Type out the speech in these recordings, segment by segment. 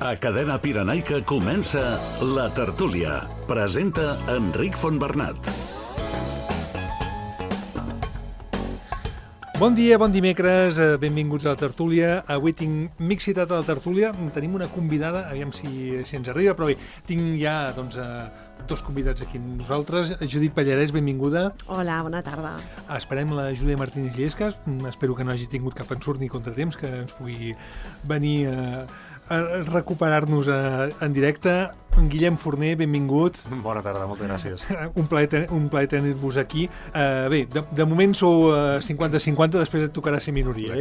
A Cadena Pirenaica comença La Tertúlia. Presenta Enric Fontbernat. Bon dia, bon dimecres, benvinguts a La Tertúlia. Avui tinc mig citat a La Tertúlia. Tenim una convidada, aviam si ens arriba, però bé, tinc ja dos convidats aquí amb nosaltres. Judit Pallarès, benvinguda. Hola, bona tarda. Esperem la Júlia Martínez Llescas. Espero que no hagi tingut cap ensurt ni contratemps, que ens pugui venir a recuperar-nos en directe. Guillem Forner, benvingut. Bona tarda, moltes gràcies. Un plaer tenir-vos aquí. Bé, de moment sou 50-50, després et tocarà ser minoria,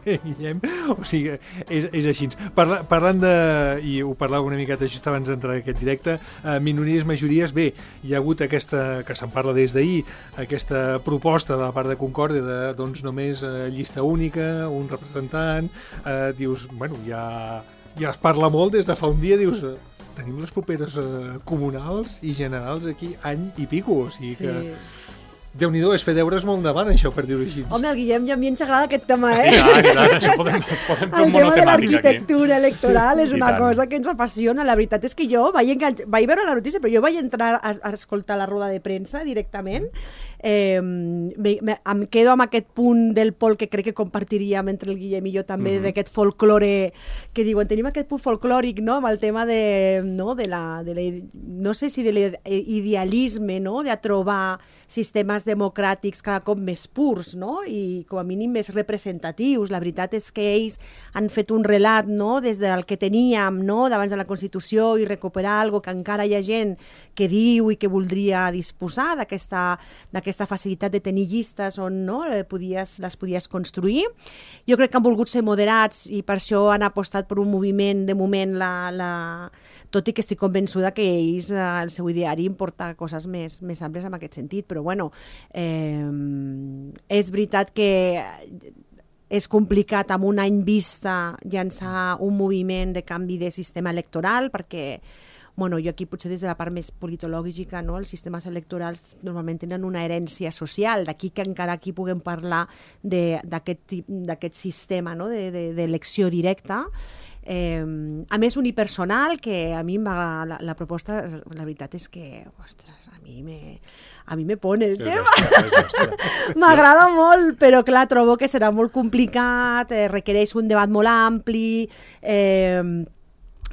Guillem? O sigui, és així. Parlant de, i ho parlava una miqueta just abans d'entrar en aquest directe, minories, majories, bé, hi ha hagut aquesta, que se'n parla des d'ahir, aquesta proposta de la part de Concòrdia de, doncs, només llista única, un representant, dius, bueno, ja es parla molt des de fa un dia, dius, tenim les properes comunals i generals aquí any i pico, o sigui que... Déu-n'hi-do, és fer deures molt endavant, això, per dir-ho així. Home, el Guillem ja a mi ens agrada aquest tema, I tant, això podem fer un el tema de monotemàtic l'arquitectura electoral és una tant. cosa que ens apassiona. La veritat és que jo vaig veure la notícia, però jo vaig entrar a escoltar la roda de premsa directament. Em quedo amb aquest punt del Pol que crec que compartiríem entre el Guillem i jo també, d'aquest folklore, que diuen, tenim aquest punt folclòric, no?, amb el tema de no sé si de l'idealisme, no?, de trobar sistemes democràtics cada cop més purs, no?, i com a mínim més representatius. La veritat és que ells han fet un relat, no?, des del que teníem, no?, d'abans de la Constitució, i recuperar algo que encara hi ha gent que diu i que voldria disposar d'aquesta facilitat de tenir llistes on, no?, les podies construir. Jo crec que han volgut ser moderats i per això han apostat per un moviment, de moment, tot i que estic convençuda que ells, el seu ideari, importa coses més àmplies en aquest sentit, però bueno, és veritat que és complicat amb un any vista llançar un moviment de canvi de sistema electoral, perquè jo aquí potser des de la part més politològica, no? Els sistemes electorals normalment tenen una herència social, d'aquí que encara aquí puguem parlar d'aquest sistema, no?, d'elecció directa. A més, unipersonal, que a mi la proposta, la veritat és que, ostres, a mi me pone el tema. M'agrada molt, però clar, trobo que serà molt complicat, requereix un debat molt ampli,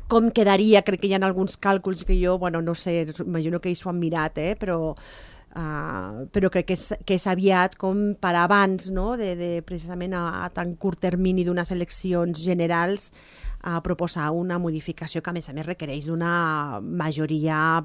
com quedaria, crec que hi ha alguns càlculs que jo, no sé, imagino que ells ho han mirat, però crec que és aviat com per abans, no?, de precisament a tan curt termini d'unes eleccions generals, a proposar una modificació que a més requereix d'una majoria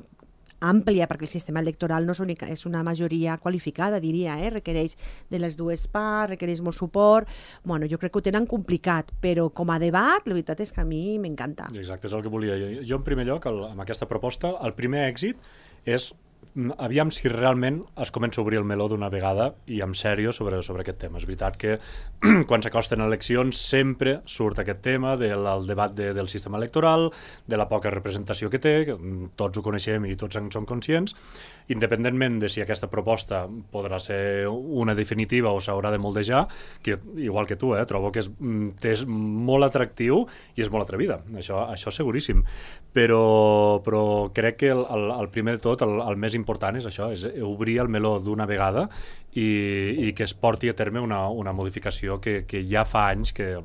àmplia, perquè el sistema electoral no és una majoria qualificada, diria, requereix de les dues parts, requereix molt suport. Jo crec que ho tenen complicat, però com a debat, la veritat és que a mi m'encanta. Exacte, és el que volia. Jo, en primer lloc, amb aquesta proposta, el primer èxit és aviam si realment es comença a obrir el meló d'una vegada i en sèrio sobre aquest tema. És veritat que quan s'acosten eleccions sempre surt aquest tema del debat del sistema electoral, de la poca representació que té, que tots ho coneixem i tots en som conscients, independentment de si aquesta proposta podrà ser una definitiva o s'haurà de moldejar, que igual que tu, trobo que és molt atractiu i és molt atrevida, això seguríssim, però crec que el primer de tot, el més important és això, és obrir el meló d'una vegada i que es porti a terme una modificació que ja fa anys que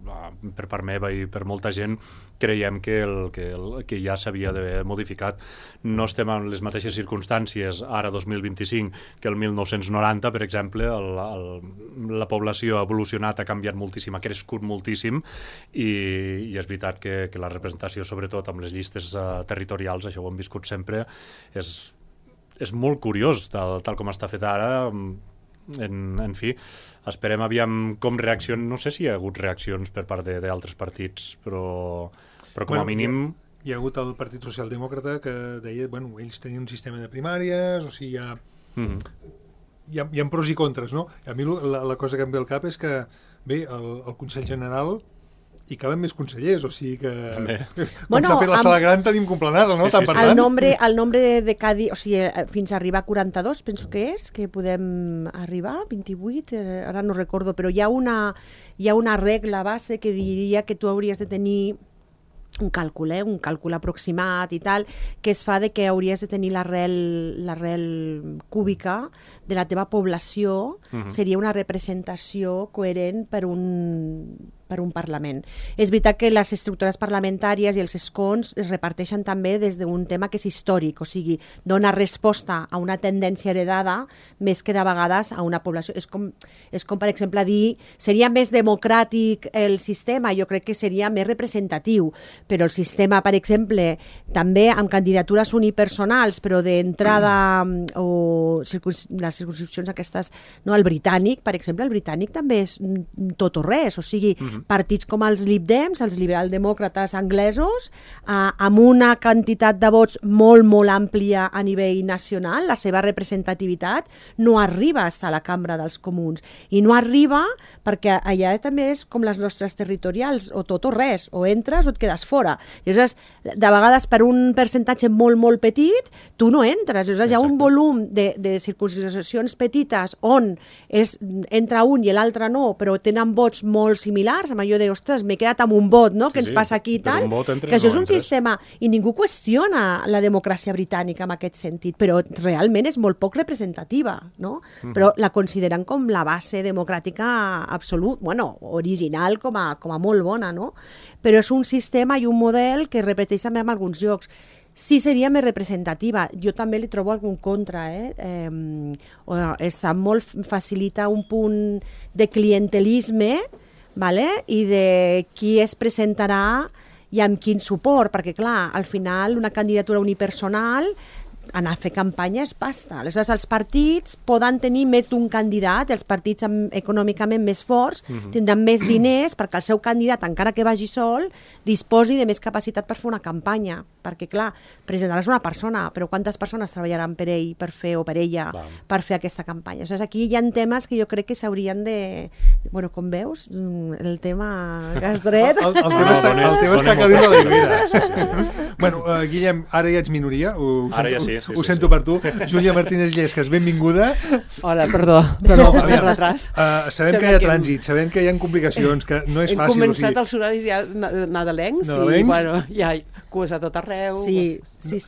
per part meva i per molta gent creiem que ja s'havia d'haver modificat. No estem en les mateixes circumstàncies ara 2025 que el 1990, per exemple. La població ha evolucionat, ha canviat moltíssim, ha crescut moltíssim i és veritat que la representació, sobretot amb les llistes territorials, això ho hem viscut sempre, és molt curiós tal com està fet ara. En fi, esperem aviam com reaccionen. No sé si hi ha hagut reaccions per part d'altres partits, però com a mínim... Hi ha hagut el Partit Socialdemòcrata que deia, ells tenien un sistema de primàries, o sigui, hi ha pros i contres, no? A mi la cosa que em ve al cap és que, bé, el Consell General hi caben més consellers, o sigui que... També. Com s'ha fet la sala gran, tenim complenada, no? Sí. El nombre de cada... O sigui, fins a arribar a 42, penso que és, que podem arribar, 28, ara no recordo, però hi ha una regla base que diria que tu hauries de tenir un càlcul aproximat i tal, que es fa de que hauries de tenir l'arrel cúbica de la teva població, seria una representació coherent per un Parlament. És veritat que les estructures parlamentàries i els escons es reparteixen també des d'un tema que és històric, o sigui, dona resposta a una tendència heredada més que de vegades a una població. És com per exemple, dir seria més democràtic el sistema, jo crec que seria més representatiu, però el sistema, per exemple, també amb candidatures unipersonals, però d'entrada o les circunscripcions aquestes, no, el britànic, per exemple, el britànic també és tot o res, o sigui, partits com els Lib Dems, els liberaldemòcrates anglesos, amb una quantitat de vots molt, molt àmplia a nivell nacional, la seva representativitat no arriba a estar a la Cambra dels Comuns. I no arriba perquè allà també és com les nostres territorials, o tot o res, o entres o et quedes fora. Llavors, de vegades per un percentatge molt, molt petit, tu no entres. Llavors, hi ha un volum de circunscripcions petites on entra un i l'altre no, però tenen vots molt similars, amb allò de, ostres, m'he quedat amb un vot, no?, que ens passa aquí i tal, que això és un sistema, i ningú qüestiona la democràcia britànica en aquest sentit, però realment és molt poc representativa, no? Però la consideren com la base democràtica absolut, bueno, original com a molt bona, no? Però és un sistema i un model que es repeteix també en alguns llocs. Sí seria més representativa. Jo també li trobo algun contra. Està molt facilita un punt de clientelisme, vale? I de qui es presentarà i amb quin suport, perquè clar, al final una candidatura unipersonal, anar a fer campanya és pasta. Aleshores, els partits poden tenir més d'un candidat, els partits econòmicament més forts tindran més diners perquè el seu candidat, encara que vagi sol, disposi de més capacitat per fer una campanya. Perquè, clar, presentaràs una persona, però quantes persones treballaran per ell, per fer, o per ella, per fer aquesta campanya? Aleshores, aquí hi ha temes que jo crec que s'haurien de... Bueno, com veus, el tema que has dret... El tema està calent a la vida. Bueno, Guillem, ara ja ets minoria. Ara ja sí. Ho sento per tu. Júlia Martínez Llescas, benvinguda. Hola, perdó per retras. Sabem que hi ha trànsit, sabem que hi ha complicacions, que no és fàcil. Hem començat els horaris ja nadalencs i bueno, ja cues a tot arreu. Sí,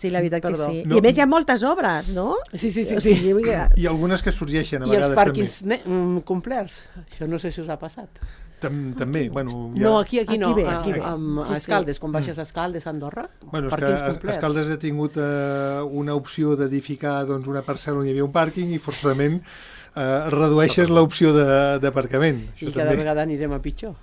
la veritat que sí. I a més hi ha moltes obres, no? Sí. I algunes que sorgeixen a vegades també. I els pàrquings complerts. Això no sé si us ha passat. També, bueno... No, aquí no, a Escaldes, quan baixes a Escaldes, a Andorra, pàrquings complets. Escaldes ha tingut una opció d'edificar una parcel·la on hi havia un pàrquing i forçosament redueixes l'opció d'aparcament. I cada vegada anirem a pitjor.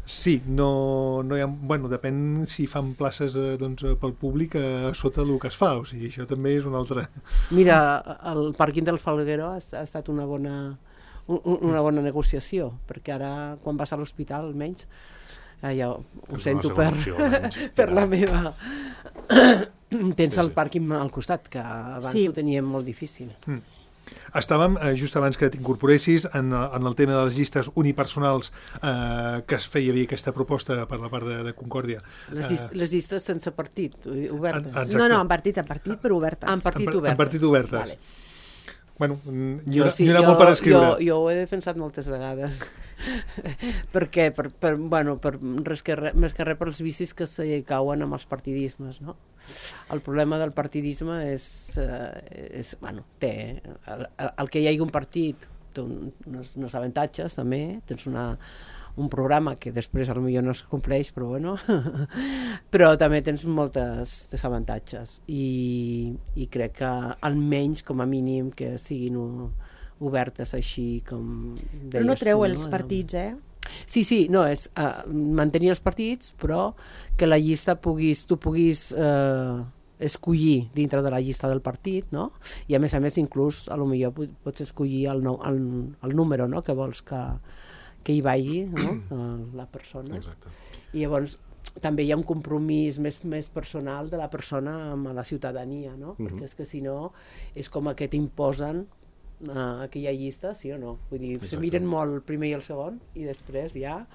Sí, no hi ha... Bueno, depèn si fan places pel públic a sota el que es fa, o sigui, això també és una altra... Mira, el pàrquing del Falguero ha estat una bona negociació, perquè ara, quan vas a l'hospital, almenys, ja ho sento per la meva... Tens el pàrquing al costat, que abans ho teníem molt difícil. Estàvem, just abans que t'incorporessis, en el tema de les llistes unipersonals que es feia bé aquesta proposta per la part de Concòrdia. Les llistes sense partit, obertes. No, en partit, però obertes. En partit obertes. Vale. Bueno, n'hi ha molt per escriure. Jo ho he defensat moltes vegades. Perquè, més que res per els vicis que se cauen amb els partidismes, no? El problema del partidisme és té el que hi hagi un partit té uns avantatges també, tens un programa que després potser no es compleix, però bueno, però també tens moltes desavantatges i crec que almenys com a mínim que siguin obertes així com deies. Però no treu els partits, Sí, no, és mantenir els partits, però que la llista tu puguis escollir dintre de la llista del partit, no? I a més inclús potser pots escollir el número, no?, que vols que hi vagi, no?, la persona. Exacte. I llavors també hi ha un compromís més personal de la persona amb la ciutadania, no? Perquè és que si no és com que t'imposen aquella llista, sí o no? Vull dir, se miren molt el primer i el segon i després ja...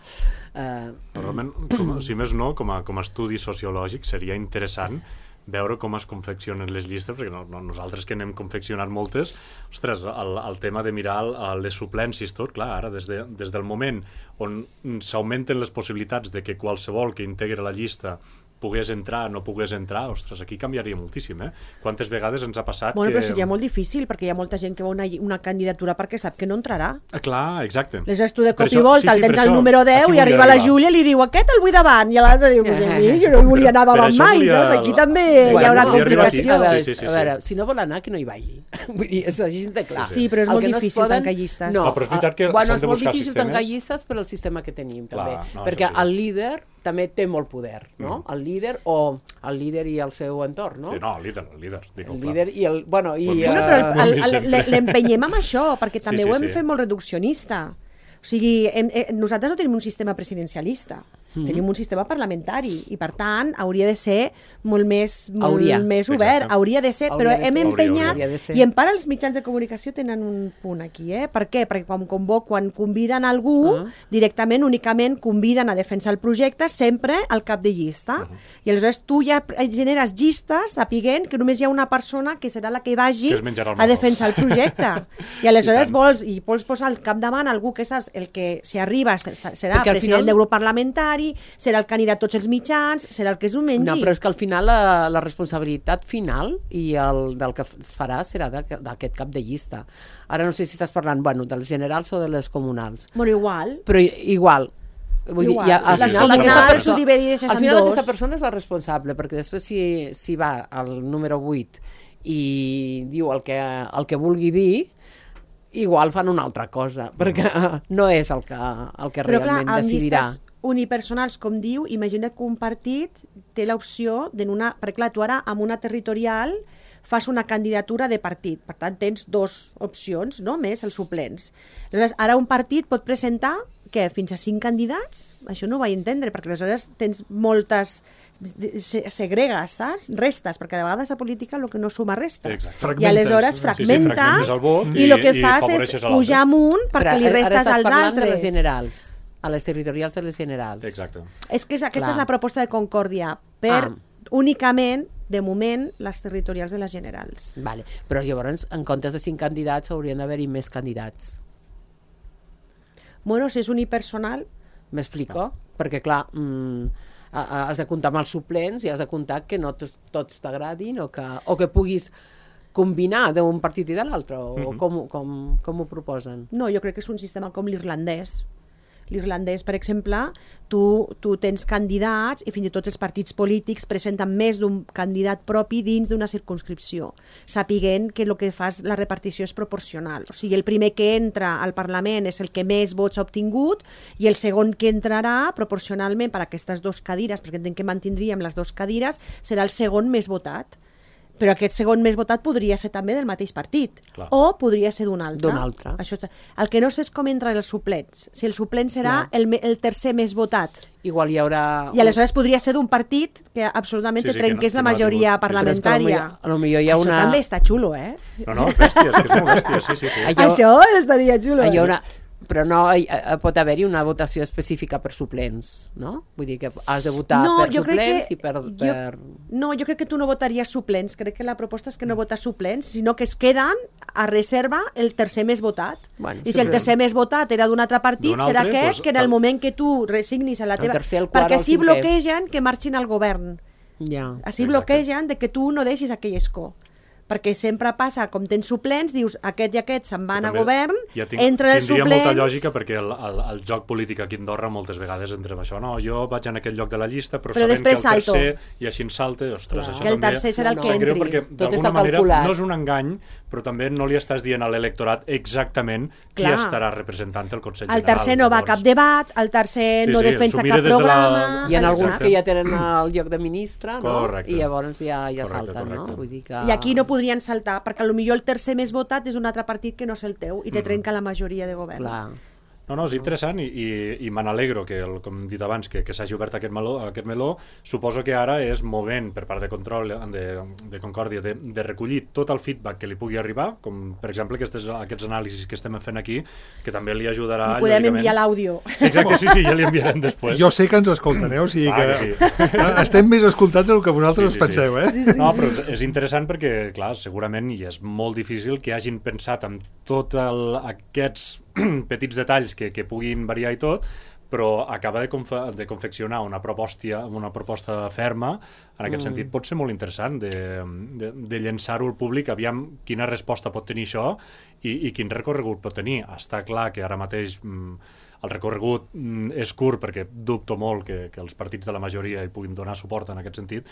Realment, si més no, com a estudi sociològic seria interessant veure com es confeccionen les llistes, perquè nosaltres que n'hem confeccionat moltes, ostres, el tema de mirar les suplències, tot, clar, ara des del moment on s'augmenten les possibilitats de que qualsevol que integri la llista pogués entrar, no pogués entrar, ostres, aquí canviaria moltíssim, Quantes vegades ens ha passat Bueno, que... però seria molt difícil, perquè hi ha molta gent que va una candidatura perquè sap que no entrarà. Clar, exacte. Aleshores tu de Per cop això- i volta el per tens al això, número 10 aquí i arriba volia la arribar. Júlia i li diu aquest el vull davant, i l'altre diu, pues a mi jo no volia anar Per davant això mai, volia saps? Aquí també Bueno, hi haurà volia arribar aquí. complicació. A veure, Sí. a veure, si no vol anar, que no hi vagi. Vull dir, és així de clar. Sí, però és El molt que no es difícil tancar llistes. No, No, però és veritat que bueno, s'han és de molt buscar difícil sistemes. tancar llistes per al sistema que tenim, també. Clar, no, perquè això sí. el líder també té molt poder, no? El líder i el seu entorn, no? Sí, no, el líder. Dic, El líder i el... Bueno, i... Bueno, però sempre. l'empenyem amb això, perquè també Sí, ho hem sí. fet molt reduccionista. O sigui, nosaltres no tenim un sistema presidencialista, tenim un sistema parlamentari i, per tant, hauria de ser molt més Hauria. obert. Exacte. Hauria de ser, però Hauria de hem ser. empenyat, Hauria de ser. i en part els mitjans de comunicació tenen un punt aquí, Per què? Perquè quan conviden algú, directament, únicament conviden a defensar el projecte sempre al cap de llista. I aleshores tu ja generes llistes sapiguent que només hi ha una persona que serà la que vagi Que es menjarà el a marró. defensar el projecte. I aleshores I tant. vols posar al capdavant algú que saps el que, si arriba, serà Perquè al president final- del grup parlamentari, serà el que anirà a tots els mitjans, serà el que s'ho mengi. No, però és que al final la responsabilitat final i del que es farà serà d'aquest cap de llista. Ara no sé si estàs parlant, bueno, dels generals o de les comunals. Bueno, igual. Però igual. Vull dir, Igual. ja, al Les final comunals aquesta ho persona, divideixes al en final dos. aquesta persona és la responsable, perquè després si va al número 8 i diu el que vulgui dir, igual fan una altra cosa, perquè no és el que Però clar, realment amb decidirà. llistes unipersonals, com diu, imagina que un partit té l'opció perquè clar, tu ara amb una territorial fas una candidatura de partit, per tant tens dues opcions, no? Més els suplents. Aleshores, ara un partit pot presentar fins a 5 candidats? Això no ho vaig entendre, perquè aleshores tens moltes segregues, saps? Restes, perquè de vegades a política el que no suma resta. Exacte. I Fragmentes. aleshores fragmentes, fragmentes el vot i el que i fas és afavoreixes a l'altre. pujar amunt perquè Però li ara restes estàs als parlant de les altres. generals, a les territorials de les generals. Exacte. És que aquesta Clar. és la proposta de Concòrdia, per únicament, de moment, les territorials de les generals. Vale. Però llavors, en comptes de 5 candidats, haurien d'haver-hi més candidats. Bueno, si és unipersonal, M'explico? Perquè, clar, has de comptar amb els suplents i has de comptar que no tots t'agradin o que puguis combinar d'un partit i de l'altre, o com ho proposen? no, jo crec que és un sistema com l'irlandès. L'irlandès, per exemple, tu tens candidats i fins i tot els partits polítics presenten més d'un candidat propi dins d'una circumscripció, sapiguent que el que fas la repartició és proporcional. O sigui, el primer que entra al Parlament és el que més vots ha obtingut i el segon que entrarà proporcionalment per a aquestes 2 cadires, perquè entenc que mantindríem les 2 cadires, serà el segon més votat. Però aquest segon més votat podria ser també del mateix partit. Clar. O podria ser d'un altre. D'un altre. Això, el que no sé és com entren els suplents. Si el suplent serà el tercer més votat. Igual hi haurà... I aleshores podria ser d'un partit que absolutament Sí, sí, trenqués que no la ha majoria tingut. Sí, sí. parlamentària. Però és que potser hi ha Això una... també està xulo, No, és bèstia, és que és molt bèstia, sí. Això estaria xulo. Hi ha una... Però no pot haver-hi una votació específica per suplents, no? Vull dir que has de votar per suplents i per... No, jo crec que tu no votaries suplents. Crec que la proposta és que no votes suplents, sinó que es queden a reserva el tercer més votat. Bueno, I si el tercer més votat era d'un altre partit, D'un serà altre, aquest doncs, que en el moment que tu resignis a la el teva... tercer, el quart, perquè el així cinquè. bloquegen que marxin al govern. Ja. Així Exacte. bloquegen de que tu no deixis aquell escó. Perquè sempre passa, com tens suplents, dius aquest i aquest se'n van a També govern, ja entren els tindria suplents... molta lògica perquè el joc polític aquí a Andorra moltes vegades entrem això, no, jo vaig en aquest lloc de la llista però sabent que després el salto. tercer i així en salta, ostres, Clar. això Que el també tercer serà el No, que no. sap greu entri. perquè Tot d'alguna està manera calculat. no és un engany però també no li estàs dient a l'electorat exactament qui Clar. estarà representant el Consell El General. tercer no va a cap debat, el tercer Sí, no sí, defensa s'ho mira cap des de la- programa... Hi ha alguns Exacte. que ja tenen el lloc de ministre, no? Correcte. I llavors ja Correcte, salten, no? correcte. Vull dir que... I aquí no podrien saltar, perquè potser el tercer més votat és un altre partit que no és el teu i te trenca la majoria de govern. Clar. No, és interessant i me n'alegro que, com hem dit abans, que s'hagi obert aquest meló. Suposo que ara és moment per part de control de Concòrdia de recollir tot el feedback que li pugui arribar, com per exemple aquests anàlisis que estem fent aquí, que també li ajudarà... I podem lògicament. enviar l'àudio. Exacte, sí, ja li enviarem després. Jo sé que ens escolten, o sigui Ah, que que estem més escoltats del que vosaltres Sí. penseu, No, però és interessant perquè, clar, segurament, i és molt difícil que hagin pensat en tots aquests petits detalls que puguin variar i tot, però acaba de confeccionar una proposta ferma, en aquest sentit pot ser molt interessant de llençar-ho al públic, aviam quina resposta pot tenir això i quin recorregut pot tenir. Està clar que ara mateix el recorregut és curt perquè dubto molt que els partits de la majoria hi puguin donar suport en aquest sentit,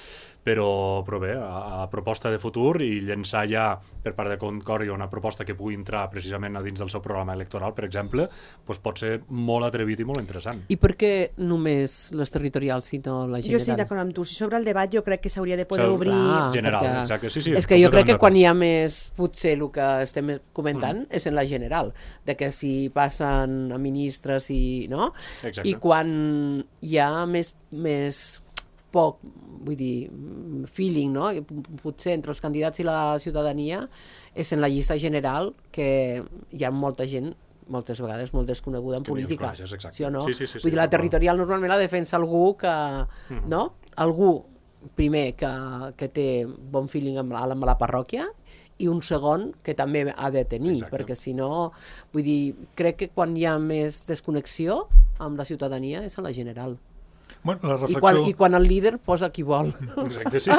però bé, a proposta de futur i llençar ja per part de Concòrdia una proposta que pugui entrar precisament a dins del seu programa electoral, per exemple, doncs pot ser molt atrevit i molt interessant. I per què només les territorials i no la general? Jo estic d'acord amb tu. Si sobre el debat jo crec que s'hauria de poder obrir... General, perquè... exacte. Sí, és que jo crec que quan hi ha més, potser el que estem comentant és en la general, de que si passen a ministres i, no? Exacte. I quan hi ha més poc, vull dir, feeling, no? Potser entre els candidats i la ciutadania és en la llista general que hi ha molta gent moltes vegades molt desconeguda en política. Sí o no? Sí, vull dir, la territorial normalment la defensa algú que, no? Algú, primer, que té bon feeling amb la parròquia i un segon que també ha de tenir, perquè si no, vull dir, crec que quan hi ha més desconnexió amb la ciutadania és a la general. Bueno, la reflexió... I quan el líder posa qui vol. Exacte, sí.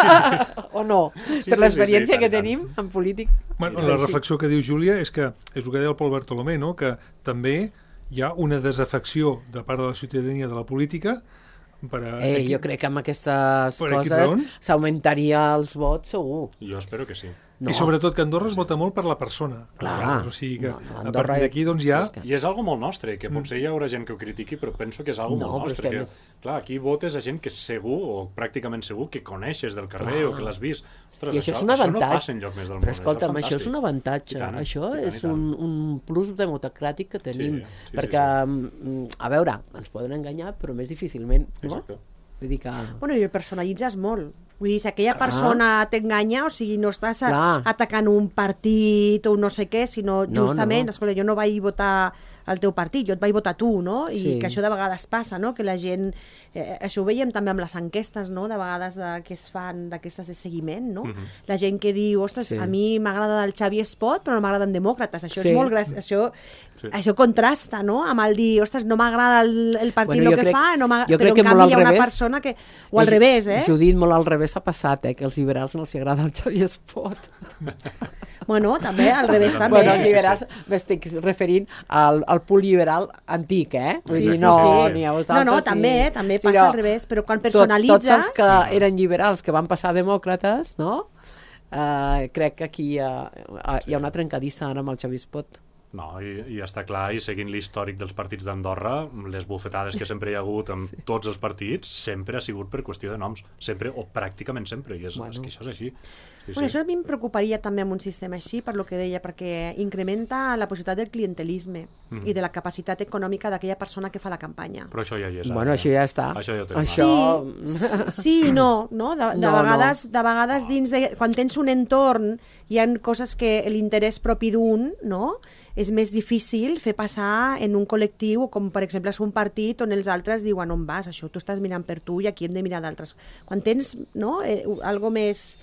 O no, per l'experiència que tenim en política. Bueno, la reflexió que diu Júlia és que, és el que deia el Pol Bartolomé, no? Que també hi ha una desafecció de part de la ciutadania de la política per a... Jo crec que amb aquestes per coses s'augmentaria els vots segur. Jo espero que sí. No. I sobretot que Andorra es vota molt per la persona. Clar. O sigui que a partir d'aquí doncs ja... I és algo molt nostre, que potser hi haurà gent que ho critiqui, però penso que és algo molt nostre. Que, clar, aquí votes a gent que segur, o pràcticament segur, que coneixes del carrer o que l'has vist. Ostres, i això és un avantatge. No passa enlloc més del món. Però escolta'm, això és un avantatge. Això és un plus democràtic que tenim. Perquè, a veure, ens poden enganyar, però més difícilment. Exacte. Vull dir que... Bueno, i el personalitzes molt. Vull dir, si aquella persona t'enganya, o sigui, no estàs atacant un partit o no sé què, sinó justament, escolta, jo no vaig votar al teu partit, jo et vaig votar tu, no? I que això de vegades passa, no? Que la gent... això ho veiem també amb les enquestes, no? De vegades que es fan d'aquestes de seguiment, no? La gent que diu, ostres, a mi m'agrada el Xavier Espot, però no m'agraden demòcrates. Això és molt això contrasta, no? Amb el dir, ostres, no m'agrada el partit el que fa, però en canvi hi ha una persona que... O al revés, Judit, molt al revés ha passat, que als liberals no els agrada el Xavier Espot. Bueno, també, al revés també. Bueno, els liberals, m'estic referint al punt liberal antic, Vull dir, no, ni a vosaltres. No, també passa al revés, però quan personalitzes... Tots els que eren liberals, que van passar a demòcrates, no? Crec que aquí hi ha una trencadissa ara amb el Xavier Espot. No, i està clar, i seguint l'històric dels partits d'Andorra, les bufetades que sempre hi ha hagut amb tots els partits, sempre ha sigut per qüestió de noms, sempre, o pràcticament sempre, i és que això és així. Això a mi em preocuparia també amb un sistema així, per lo que deia, perquè incrementa la possibilitat del clientelisme i de la capacitat econòmica d'aquella persona que fa la campanya. Però això ja hi és. Bueno, això ja està. Això ja ho tenim. Sí i no. De vegades dins de... Quan tens un entorn, hi ha coses que l'interès propi d'un, no?, és més difícil fer passar en un col·lectiu, com per exemple és un partit on els altres diuen on vas, això tu estàs mirant per tu i aquí hem de mirar d'altres. Quan tens algo més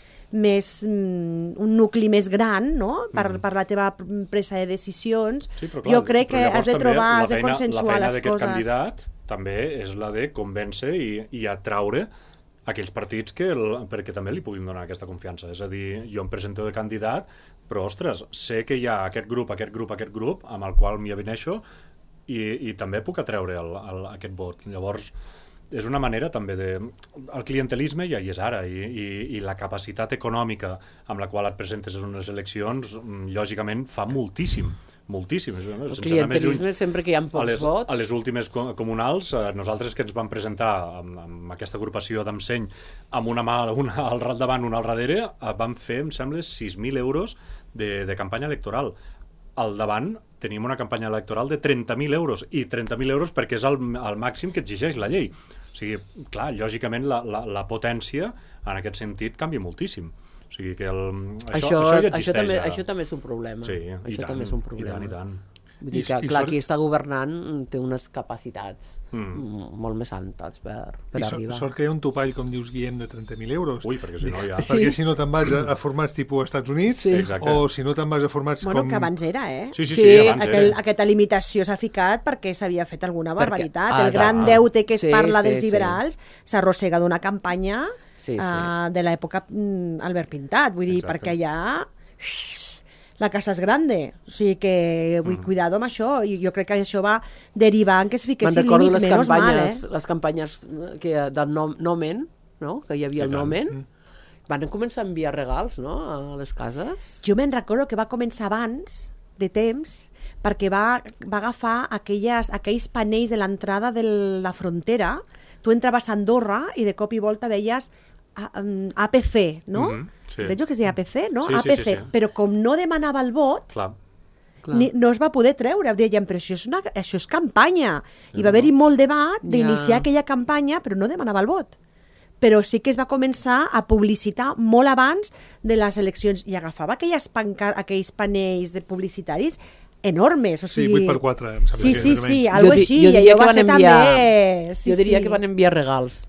un nucli més gran, no?, per la teva presa de decisions, jo crec que has de trobar, has de consensuar les coses. La feina d'aquest candidat també és la de convèncer i atraure aquells partits perquè també li puguin donar aquesta confiança. És a dir, jo em presento de candidat, però, ostres, sé que hi ha aquest grup, amb el qual m'hi avineixo i també puc atreure aquest vot. Llavors, és una manera també de... El clientelisme ja hi és ara i la capacitat econòmica amb la qual et presentes en unes eleccions, lògicament, fa moltíssim. El clientelisme sempre que hi ha pocs vots. A les últimes comunals, nosaltres que ens vam presentar amb aquesta agrupació d'Emseny amb una mà al davant, una al darrere, vam fer, em sembla, 6.000 euros de campanya electoral. Al davant tenim una campanya electoral de 30.000 euros, i 30.000 euros perquè és el màxim que exigeix la llei. O sigui, clar, lògicament la potència en aquest sentit canvia moltíssim. O sigui que això ja existeix. Això també és un problema. Sí, això també és un problema. I tant. Vull dir que, clar, qui està governant té unes capacitats molt més altes per arribar. Sort que hi ha un topall, com dius, Guillem, de 30.000 euros. Ui, perquè si no ja... Perquè si no te'n vas a formats tipus Estats Units, o si no te'n vas a formats com... que abans era, Sí, abans era. Aquesta limitació s'ha ficat perquè s'havia fet alguna barbaritat. El gran deute que es parla dels liberals s'arrossega d'una campanya de l'època Albert Pintat. Vull dir, perquè allà... la casa és grande, o sigui que cuidado amb això, i jo crec que això va derivar en que es fiquessin límits, menys mal, les campanyes del Nomen, no? Que hi havia el Nomen, van començar a enviar regals, no?, a les cases. Jo me'n recordo que va començar abans de temps, perquè va agafar aquells panells de l'entrada de la frontera. Tu entraves a Andorra i de cop i volta veies APC, no? Veig que es deia APC, no? APC, però com no demanava el vot, no es va poder treure. Deien, però això és campanya. I va haver-hi molt debat d'iniciar aquella campanya, però no demanava el vot. Però sí que es va començar a publicitar molt abans de les eleccions i agafava aquells panells publicitaris enormes, o sigui... 8x4, em sembla. Sí, algo així, i allò va ser també... Jo diria que van enviar regals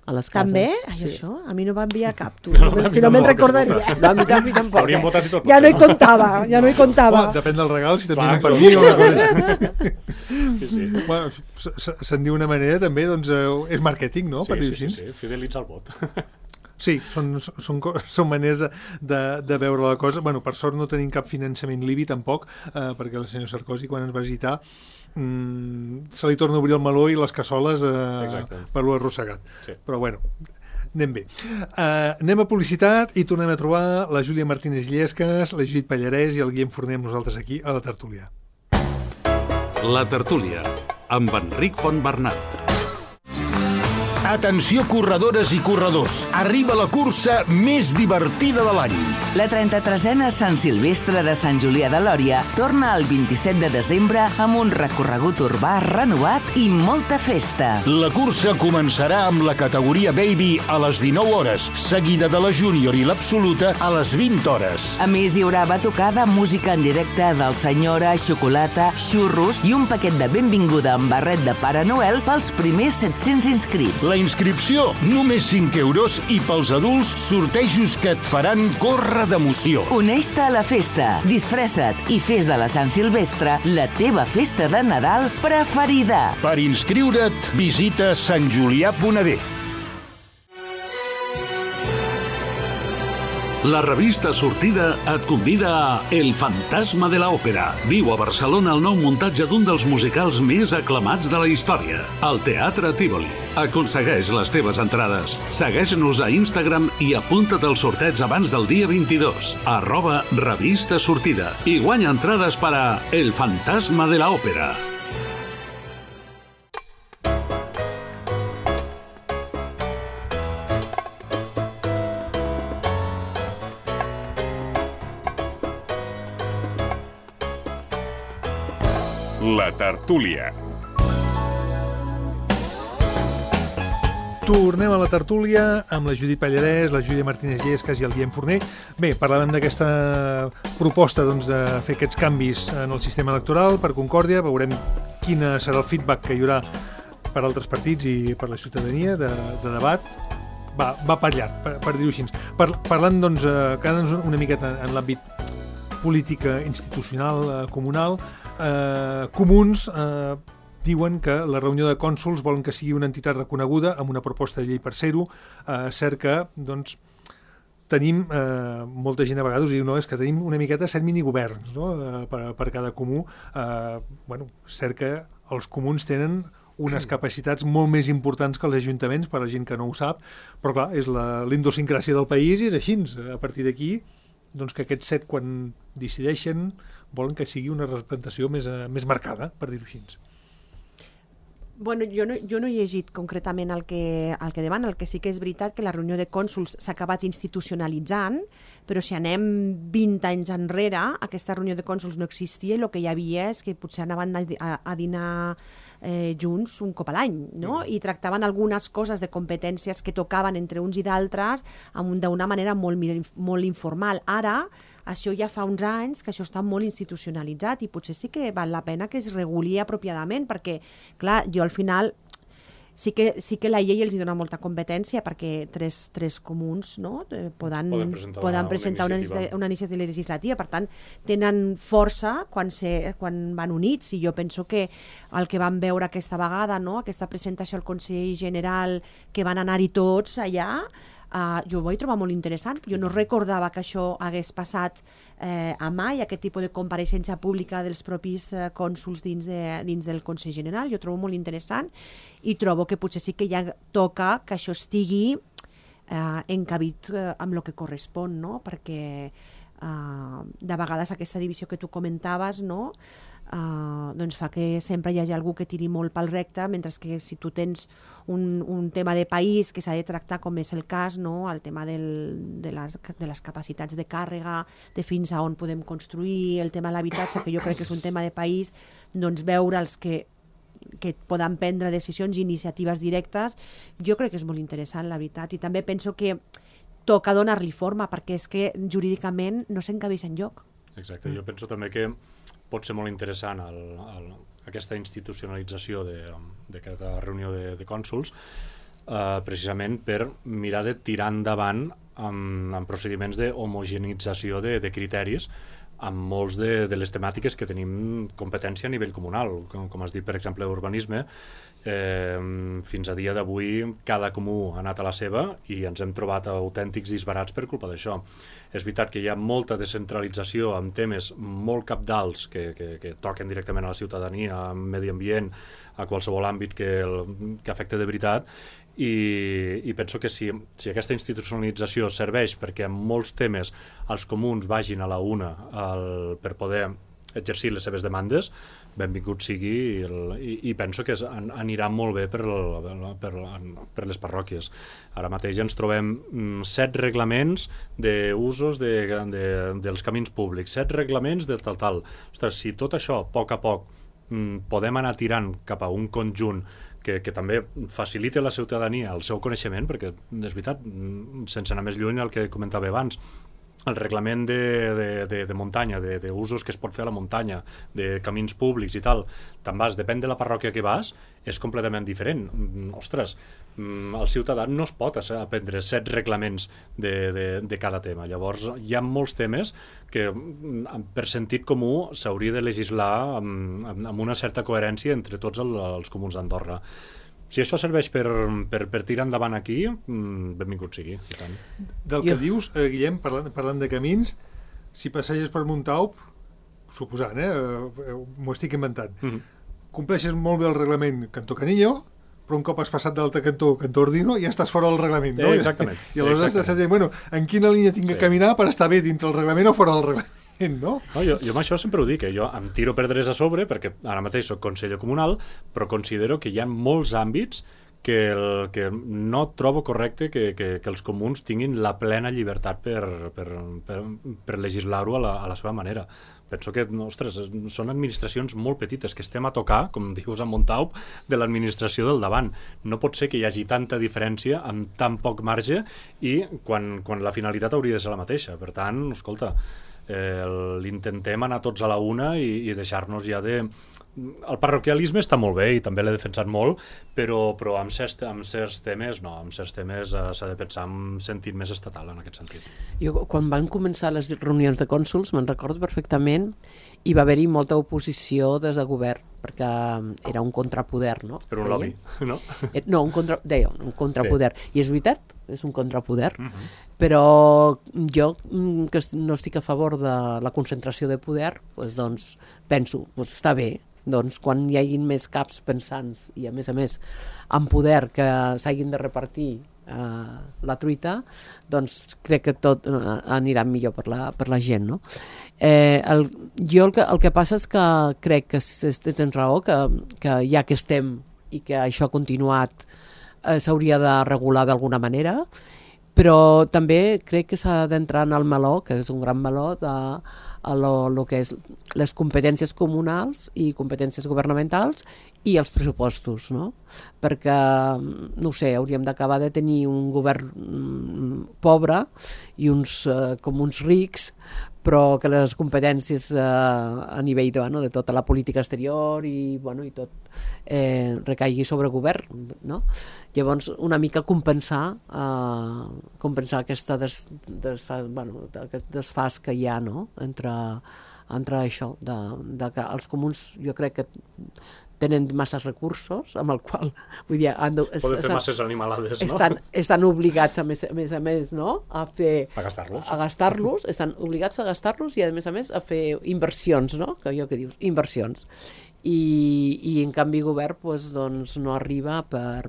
a les cases. També? Això? A mi no va enviar cap, tu. Si no me'n recordaria. A mi tampoc. Hauríem votat i tot. Ja no hi comptava. Depèn del regal, si t'envien per mi o una cosa. Sí. Bueno, se'n diu una manera també, doncs és màrqueting, no? Sí, fidelitzar el vot. Sí, són maneres de veure la cosa. Bueno, per sort no tenim cap finançament libi tampoc, perquè el senyor Sarkozy, quan ens va visitar, se li torna a obrir el meló i les cassoles per lo arrossegat. Sí. Però bueno, anem bé. Anem a publicitat i tornem a trobar la Júlia Martínez Llesques, la Judit Pallarès i el Guillem Forner amb nosaltres aquí a la tertúlia. La tertúlia, amb Enric Fontbernat. Atenció, corredores i corredors. Arriba la cursa més divertida de l'any. La 33a Sant Silvestre de Sant Julià de Lòria torna el 27 de desembre amb un recorregut urbà renovat i molta festa. La cursa començarà amb la categoria Baby a les 19 hores, seguida de la Júnior i l'Absoluta a les 20 hores. A més, hi haurà batucada, música en directe del Senyora, xocolata, xurros i un paquet de benvinguda amb barret de Pare Noel pels primers 700 inscrits. La inscripció, només 5 euros, i pels adults, sortejos que et faran córrer d'emoció. Uneix-te a la festa, disfressa't i fes de la Sant Silvestre la teva festa de Nadal preferida. Per inscriure't, visita santjulià.d. La revista Sortida et convida a El fantasma de l'òpera. Viu a Barcelona el nou muntatge d'un dels musicals més aclamats de la història, el Teatre Tívoli. Aconsegueix les teves entrades. Segueix-nos a Instagram i apunta't al sorteig abans del dia 22, @revista Sortida, i guanya entrades per a El fantasma de l'òpera. La tertúlia. Tornem a la tertúlia amb la Judit Pallarès, la Júlia Martínez Llesques i el Guillem Forner. Bé, parlàvem d'aquesta proposta de fer aquests canvis en el sistema electoral per Concòrdia. Veurem quin serà el feedback que hi haurà per altres partits i per la ciutadania de debat. Va per llarg, per dir-ho així. Parlant, doncs, quedant-nos una miqueta en l'àmbit política institucional, comunal, Comuns diuen que la reunió de cònsols volen que sigui una entitat reconeguda amb una proposta de llei per ser-ho. Cert que, doncs, tenim, molta gent a vegades diu, no, és que tenim una miqueta 7 minigoverns, no? per cada comú. Cert que els comuns tenen unes capacitats molt més importants que els ajuntaments, per a la gent que no ho sap, però clar, és la idiosincràsia del país i és així. A partir d'aquí, doncs que aquests 7, quan decideixen, volen que sigui una representació més marcada, per dir-ho així. Bueno, jo no he llegit concretament el que demana. El que sí que és veritat que la reunió de cònsols s'ha acabat institucionalitzant, però si anem 20 anys enrere, aquesta reunió de cònsols no existia i el que hi havia és que potser anaven a dinar junts un cop a l'any, no? I tractaven algunes coses de competències que tocaven entre uns i d'altres d'una manera molt informal. Ara això ja fa uns anys que això està molt institucionalitzat i potser sí que val la pena que es reguli apropiadament, perquè, clar, jo al final sí que la llei els dona molta competència perquè tres comuns, no? poden presentar una iniciativa legislativa, per tant tenen força quan van units, i jo penso que el que vam veure aquesta vegada, no? Aquesta presentació al Consell General, que van anar-hi tots allà, jo ho vaig trobar molt interessant. Jo no recordava que això hagués passat a mai, aquest tipus de compareixença pública dels propis cònsols dins del Consell General. Jo trobo molt interessant i trobo que potser sí que ja toca que això estigui encabit amb el que correspon, no? Perquè de vegades aquesta divisió que tu comentaves, no? Doncs fa que sempre hi hagi algú que tiri molt pel recte, mentre que si tu tens un tema de país que s'ha de tractar, com és el cas, no? El tema de les capacitats de càrrega, de fins a on podem construir, el tema de l'habitatge, que jo crec que és un tema de país, doncs veure els que poden prendre decisions i iniciatives directes, jo crec que és molt interessant, la veritat, i també penso que toca donar-li forma, perquè és que jurídicament no s'encabeix enlloc. Exacte, jo penso també que pot ser molt interessant aquesta institucionalització d'aquesta reunió de cònsols, precisament per mirar de tirar endavant amb procediments d'homogenització de criteris amb molts de les temàtiques que tenim competència a nivell comunal. Com has dit, per exemple, urbanisme, fins a dia d'avui cada comú ha anat a la seva i ens hem trobat autèntics disbarats per culpa d'això. És veritat que hi ha molta descentralització amb temes molt cabdals que toquen directament a la ciutadania, al medi ambient, a qualsevol àmbit que afecta de veritat, i penso que si aquesta institucionalització serveix perquè en molts temes els comuns vagin a la una per poder exercir les seves demandes, benvingut sigui, i penso que anirà molt bé per les parròquies. Ara mateix ens trobem 7 reglaments d'usos dels camins públics, 7 reglaments de tal. Ostres, si tot això, a poc, podem anar tirant cap a un conjunt que també facilita a la ciutadania el seu coneixement, perquè és veritat, sense anar més lluny el que comentava abans, el reglament de muntanya, d'usos que es pot fer a la muntanya, de camins públics i tal, te'n vas, depèn de la parròquia que vas, és completament diferent. Ostres, el ciutadà no es pot aprendre 7 reglaments de cada tema. Llavors, hi ha molts temes que, per sentit comú, s'hauria de legislar amb una certa coherència entre tots els comuns d'Andorra. Si això serveix per tirar endavant aquí, benvingut sigui. I tant. Del que dius, Guillem, parlant de camins, si passeges per Montaup, suposant, m'ho estic inventant, compleixes molt bé el reglament Cantó Canillo, però un cop has passat d'altre cantó Ordino, ja estàs fora del reglament, no? Exactament. I aleshores estàs dient, bueno, en quina línia tinc que caminar per estar bé dintre el reglament o fora del reglament? No? Jo amb això sempre ho dic, jo em tiro pedres a sobre perquè ara mateix soc conseller comunal, però considero que hi ha molts àmbits que no trobo correcte que els comuns tinguin la plena llibertat per legislar-ho a la seva manera. Penso que, ostres, són administracions molt petites, que estem a tocar, com dius a Montaup, de l'administració del davant. No pot ser que hi hagi tanta diferència amb tan poc marge i quan la finalitat hauria de ser la mateixa. Per tant, escolta, l'intentem anar tots a la una i deixar-nos ja de... El parroquialisme està molt bé i també l'he defensat molt, però amb certs temes no, amb certs temes s'ha de pensar en sentit més estatal en aquest sentit. Jo, quan van començar les reunions de cònsols, me'n recordo perfectament, hi va haver-hi molta oposició des de govern, perquè era un contrapoder, no? Era un lobby, no? No, un contrapoder. Sí. I és veritat, és un contrapoder, però jo, que no estic a favor de la concentració de poder, doncs penso, està bé, doncs quan hi hagin més caps pensants i a més amb poder que s'hagin de repartir la truita, doncs crec que tot anirà millor per la gent, no? Jo el que passa és que crec que tens raó, que ja que estem i que això ha continuat s'hauria de regular d'alguna manera, però també crec que s'ha d'entrar en el meló, que és un gran meló, lo que és les competències comunals i competències governamentals i els pressupostos, no? Perquè, no ho sé, hauríem d'acabar de tenir un govern pobre i uns comuns rics, però que les competències a nivell de tota la política exterior i tot recaigui sobre el govern, no? Llavors, una mica compensar aquesta aquest desfàs que hi ha, no? entre això, de que els comuns jo crec que tenen masses recursos, amb el qual poden fer masses animalades, no? Estan obligats, a més, no? a gastar-los, estan obligats a gastar-los i a més a fer inversions, no? Que dius, inversions. I en canvi govern doncs, no arriba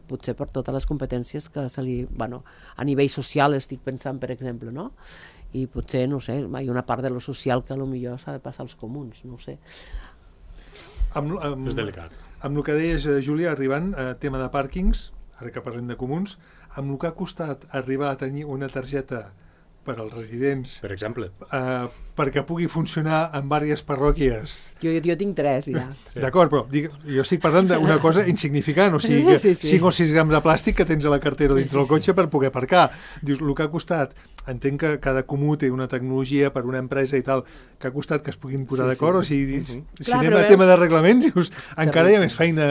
potser per totes les competències que se li... a nivell social estic pensant, per exemple, no? I potser, no sé, hi ha una part de lo social que potser s'ha de passar als comuns, no sé. És delicat. Amb el que deies, Júlia, arribant a tema de pàrquings, ara que parlem de comuns, amb el que ha costat arribar a tenir una targeta per als residents, per exemple, perquè pugui funcionar en diverses parròquies. Jo tinc 3, ja. Sí. D'acord, però jo estic parlant d'una cosa insignificant, o sigui, que 5 o 6 grams de plàstic que tens a la cartera dintre del cotxe per poder aparcar. Dius, el que ha costat, entenc que cada comú té una tecnologia per una empresa i tal, que ha costat que es puguin posar d'acord, o sigui, si anem a tema de reglaments, dius, encara hi ha més feina.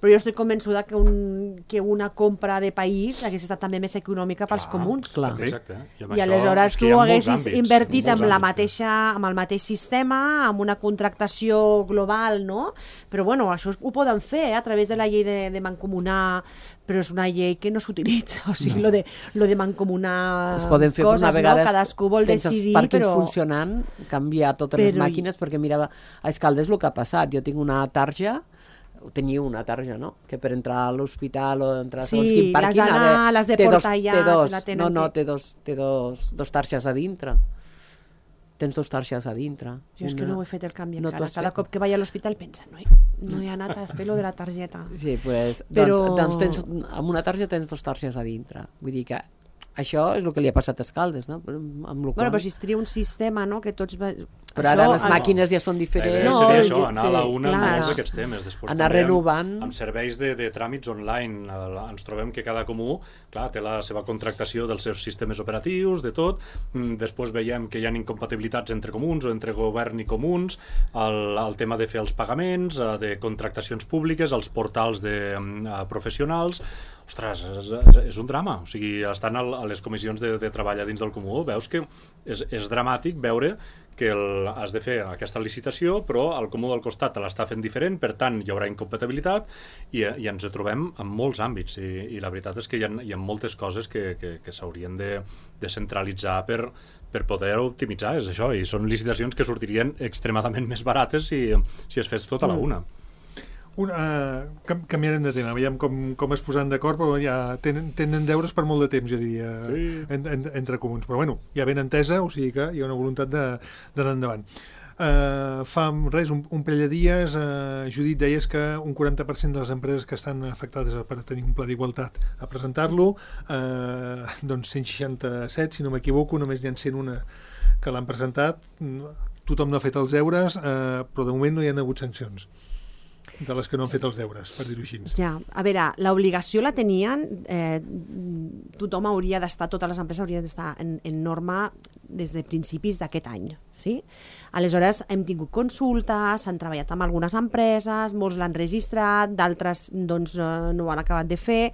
Però jo estic convençuda que una compra de país hagués estat també més econòmica pels comuns. Clar. Exacte. I aleshores tu haguessis invertit amb el mateix sistema, amb una contractació global, no? Però bueno, això ho poden fer a través de la llei de mancomunar, però és una llei que no s'utilitza, o sigui, lo de mancomunar coses, no? Cadascú vol decidir, però... Els pàrquings funcionant, canviar totes les màquines, perquè mira, a Escaldes el que ha passat, jo tinc una tarja, tenia una tarja, no? Que per entrar a l'hospital o entrar a segons quin pàrquing les de portar allà té dos targes a dintre. Tens 2 targes a dintre. Jo és que no ho he fet el canvi encara. Cada cop que vaig a l'hospital pensa, no he anat a fer-lo de la targeta. Sí, doncs amb una tarja tens 2 targes a dintre. Vull dir que això és el que li ha passat a Escaldes, no? Però si es tria un sistema, no?, que tots... Però ara les màquines ja són diferents. Seria això, anar a la una amb molts d'aquests temes. Després anar renovant. Amb serveis de tràmits online. Ens trobem que cada comú, clar, té la seva contractació dels seus sistemes operatius, de tot. Després veiem que hi ha incompatibilitats entre comuns o entre govern i comuns, el tema de fer els pagaments, de contractacions públiques, els portals professionals. Ostres, és un drama. O sigui, estan a les comissions de treball dins del comú, veus que és dramàtic veure que has de fer aquesta licitació, però el comú del costat te l'està fent diferent, per tant hi haurà incompatibilitat i ens trobem en molts àmbits i la veritat és que hi ha moltes coses que s'haurien de centralitzar per poder optimitzar, és això, i són licitacions que sortirien extremadament més barates si es fes tot a la una. Canviarem de tema, veiem com es posaran d'acord, però ja tenen deures per molt de temps, jo diria, entre comuns. Però bueno, ja ben entesa, o sigui que hi ha una voluntat d'anar endavant. Fa res, un parell de dies, Judit, deies que un 40% de les empreses que estan afectades per tenir un pla d'igualtat a presentar-lo, doncs 167, si no m'equivoco, només n'hi ha 101 que l'han presentat, tothom no ha fet els deures, però de moment no hi ha hagut sancions de les que no han fet els deures, per dir-ho així. Ja, a veure, l'obligació la tenien, tothom hauria d'estar, totes les empreses haurien d'estar en norma des de principis d'aquest any, sí? Aleshores, hem tingut consultes, s'han treballat amb algunes empreses, molts l'han registrat, d'altres doncs, no ho han acabat de fer,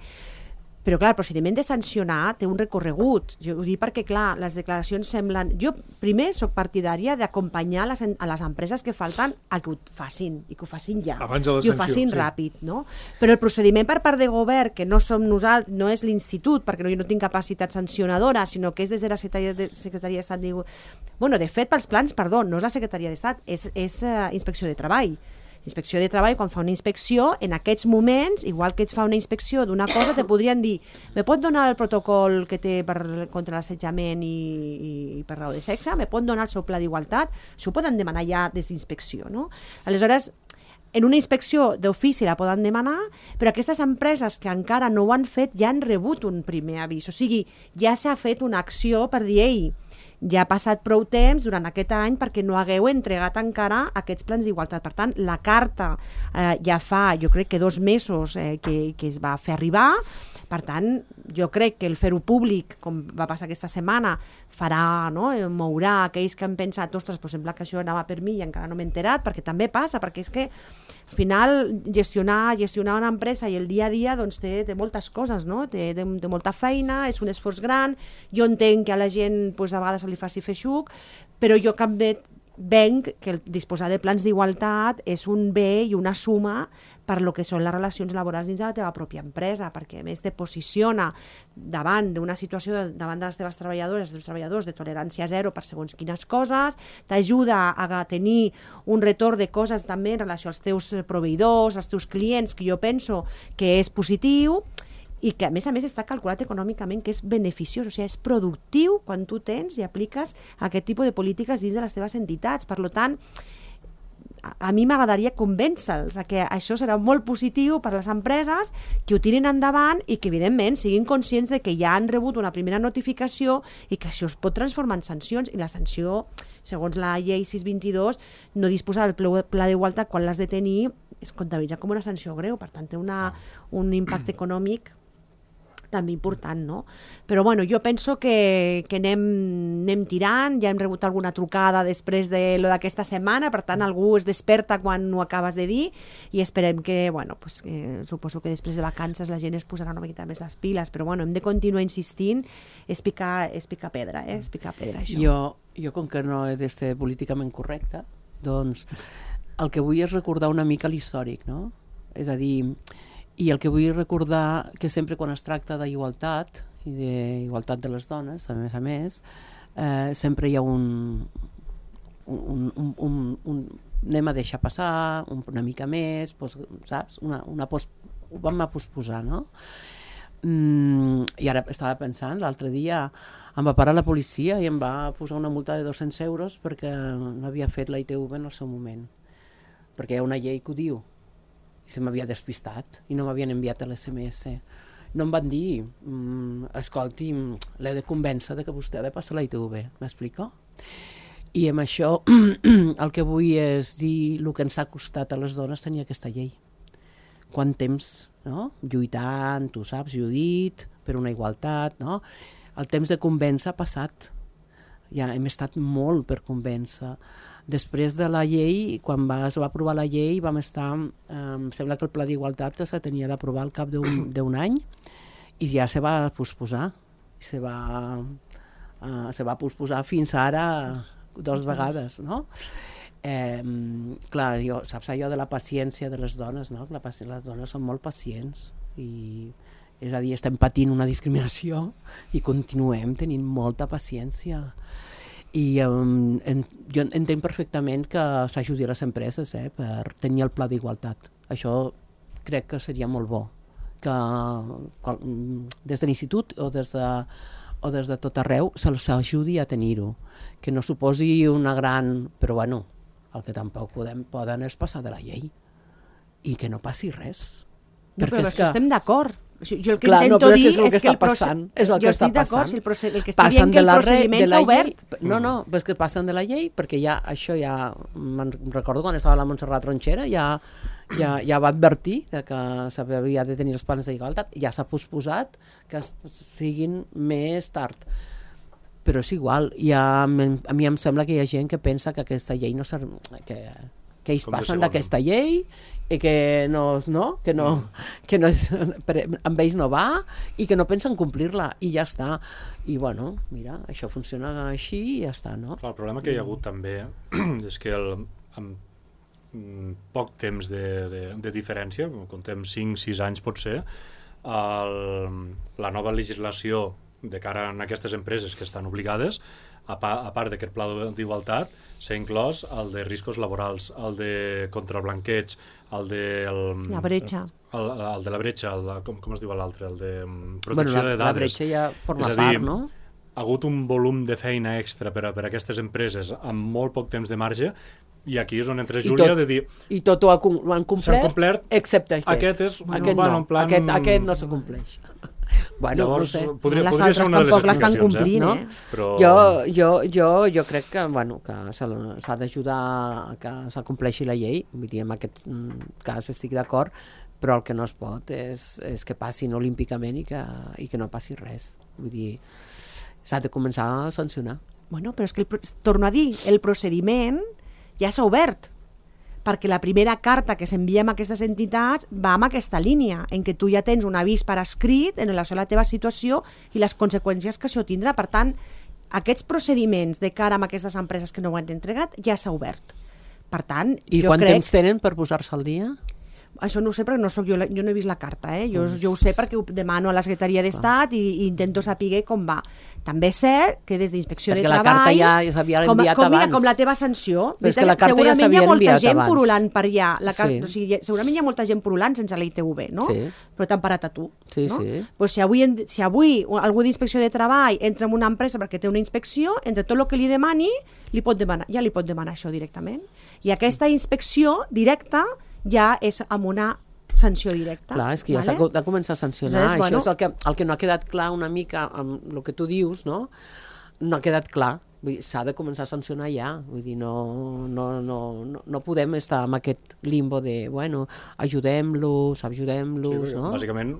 però clar, el procediment de sancionar té un recorregut. Jo ho dic perquè, clar, les declaracions semblen... Jo, primer, soc partidària d'acompanyar a les empreses que falten a que ho facin, i que ho facin ja. Abans de la sanció, i ho facin ràpid, no? Però el procediment per part de govern, que no som nosaltres, no és l'institut, perquè jo no tinc capacitat sancionadora, sinó que és des de la Secretaria d'Estat... Bueno, de fet, pels plans, perdó, no és la Secretaria d'Estat, és Inspecció de Treball. Inspecció de Treball, quan fa una inspecció, en aquests moments, igual que ets fa una inspecció d'una cosa, te podrien dir, me pot donar el protocol que té contra l'assetjament i per raó de sexe, me pot donar el seu pla d'igualtat, això ho poden demanar ja des d'inspecció, no? Aleshores, en una inspecció d'ofici la poden demanar, però aquestes empreses que encara no ho han fet ja han rebut un primer avís, o sigui, ja s'ha fet una acció per dir, ei, ja ha passat prou temps durant aquest any perquè no hagueu entregat encara aquests plans d'igualtat. Per tant, la carta ja fa, jo crec que 2 mesos que es va fer arribar. Per tant, jo crec que el fer-ho públic, com va passar aquesta setmana, farà, no? Mourà aquells que han pensat, ostres, però sembla que això anava per mi i encara no m'he enterat, perquè també passa, perquè és que al final gestionar una empresa i el dia a dia doncs, té moltes coses, no? Té molta feina, és un esforç gran, jo entenc que a la gent doncs, a vegades se li faci feixuc, però jo també venc que disposar de plans d'igualtat és un bé i una suma per lo que són les relacions laborals dins de la teva pròpia empresa, perquè a més te posiciona davant d'una situació, davant de les teves treballadores, dels treballadors, de tolerància zero per segons quines coses, t'ajuda a tenir un retorn de coses també en relació als teus proveïdors, als teus clients, que jo penso que és positiu, i que a més està calculat econòmicament que és beneficiós, o sigui, és productiu quan tu tens i apliques aquest tipus de polítiques dins de les teves entitats. Per tant, a mi m'agradaria convèncer-los que això serà molt positiu per a les empreses, que ho tirin endavant i que, evidentment, siguin conscients de que ja han rebut una primera notificació i que això es pot transformar en sancions. I la sanció, segons la llei 622, no disposar del pla d'igualtat quan l'has de tenir es comptabilitza com una sanció greu, per tant té un impacte econòmic també important, no? Però bueno, jo penso que anem tirant, ja hem rebut alguna trucada després de lo d'aquesta setmana, per tant algú es desperta quan ho acabes de dir i esperem que, bueno, pues, suposo que després de vacances la gent es posarà una miqueta més les piles, però bueno, hem de continuar insistint, és picar pedra, és picar pedra això. Jo com que no he de ser políticament correcta, doncs el que vull és recordar una mica l'històric, no? És a dir, i el que vull recordar que sempre quan es tracta d'igualtat i d'igualtat de les dones, a més, sempre hi ha un anem a deixar passar una mica més, saps? Ho vam a posposar, no? I ara estava pensant, l'altre dia em va parar la policia i em va posar una multa de 200 euros perquè no havia fet la ITV en el seu moment, perquè hi ha una llei que ho diu. I se m'havia despistat i no m'havien enviat l'SMS. No em van dir, escolti, l'he de convèncer que vostè ha de passar la ITV, m'explico? I amb això el que vull és dir el que ens ha costat a les dones tenir aquesta llei. Quant temps, no? Lluitant, tu saps, Judit, per una igualtat, no? El temps de convèncer ha passat. Ja hem estat molt per convèncer. Després de la llei, quan es va aprovar la llei, vam estar, em sembla que el pla d'igualtat se tenia d'aprovar al cap d'un any i ja se va posposar. Se va posposar fins ara 2 vegades, no? Clar, saps allò de la paciència de les dones, no? Les dones són molt pacients i és a dir, estem patint una discriminació i continuem tenint molta paciència. I jo entenc perfectament que s'ajudi a les empreses per tenir el pla d'igualtat. Això crec que seria molt bo, que des de l'institut o des de tot arreu se'ls ajudi a tenir-ho, que no suposi una gran... Però bueno, el que tampoc poden és passar de la llei i que no passi res. No, però això estem d'acord. Jo el que intento dir és que el procediment... Jo estic d'acord, el que estic dient que el procediment s'ha obert. No, és que passen de la llei, perquè això ja... Me'n recordo quan estava la Montserrat Tronxera, ja va advertir que s'havia de tenir els plans d'igualtat, ja s'ha posposat que siguin més tard. Però és igual, a mi em sembla que hi ha gent que pensa que aquesta llei no serv... que ells passen d'aquesta llei i que és, amb ells no va i que no pensen complir-la i ja està. I bueno, mira, això funciona així i ja està, no? Clar, el problema que hi ha hagut també és que amb poc temps de diferència, comptem 5-6 anys potser, la nova legislació de cara a aquestes empreses que estan obligades, a part d'aquest pla d'igualtat, s'ha inclòs el de riscos laborals, el de contra el blanqueig, el de... La bretxa. El de la bretxa, com es diu l'altre? El de protecció de dades. La bretxa ja forma part, no? Ha hagut un volum de feina extra per a aquestes empreses amb molt poc temps de marge i aquí és on entra Júlia de dir... I tot ho han complert, excepte aquest. Aquest és... Aquest no se compleix. Bueno, Llavors, no sé. podria les ser altres una de les tampoc l'estan explicacions, complint, no? Però... Jo crec que, bueno, que s'ha d'ajudar que s'acompleixi la llei, vull dir, en aquest cas estic d'acord, però el que no es pot és que passin olímpicament i que no passi res. Vull dir, s'ha de començar a sancionar. Bueno, però és que, torno a dir, el procediment ja s'ha obert, perquè la primera carta que s'envia a aquestes entitats va amb aquesta línia, en què tu ja tens un avís per escrit en relació a la teva situació i les conseqüències que això tindrà. Per tant, aquests procediments de cara a aquestes empreses que no ho han entregat ja s'ha obert. Per tant, I jo quant crec... temps tenen per posar-se al dia? Això no ho sé perquè no soc jo no he vist la carta, jo ho sé perquè ho demano a la Secretaria d'Estat i intento saber com va. També sé que des d'Inspecció de Treball... Perquè la carta ja s'havia enviat abans. Com la teva sanció. Però és que la carta ja segurament hi s'havia ha molta enviat gent abans. purulant per allà. Sí. O sigui, segurament hi ha molta gent purulant sense la ITV, no? Sí. Però t'han parat a tu. Sí, no? sí. Pues si avui algú d'Inspecció de Treball entra en una empresa perquè té una inspecció, entre tot el que li demani, li pot demanar això directament. I aquesta inspecció directa ja és amb una sanció directa. Clar, és que ja s'ha de començar a sancionar. Aleshores, bueno, això és el que no ha quedat clar una mica amb el que tu dius, no? No ha quedat clar. S'ha de començar a sancionar ja. Vull dir, no podem estar en aquest limbo de, bueno, ajudem-los, Sí, no? bàsicament,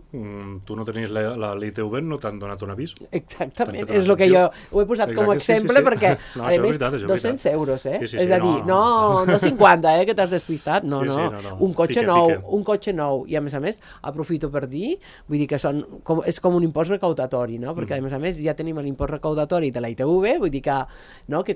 tu no tenies la ITV, no t'han donat un avís. Exactament, és el que jo ho he posat com a exemple, perquè, no, a més, 200 euros, és a dir, no 50, que t'has despistat, no. Un cotxe nou, i a més, aprofito per dir, vull dir que és com un impost recaudatori, no? Perquè a més ja tenim l'impost recaudatori de la ITV, vull dir que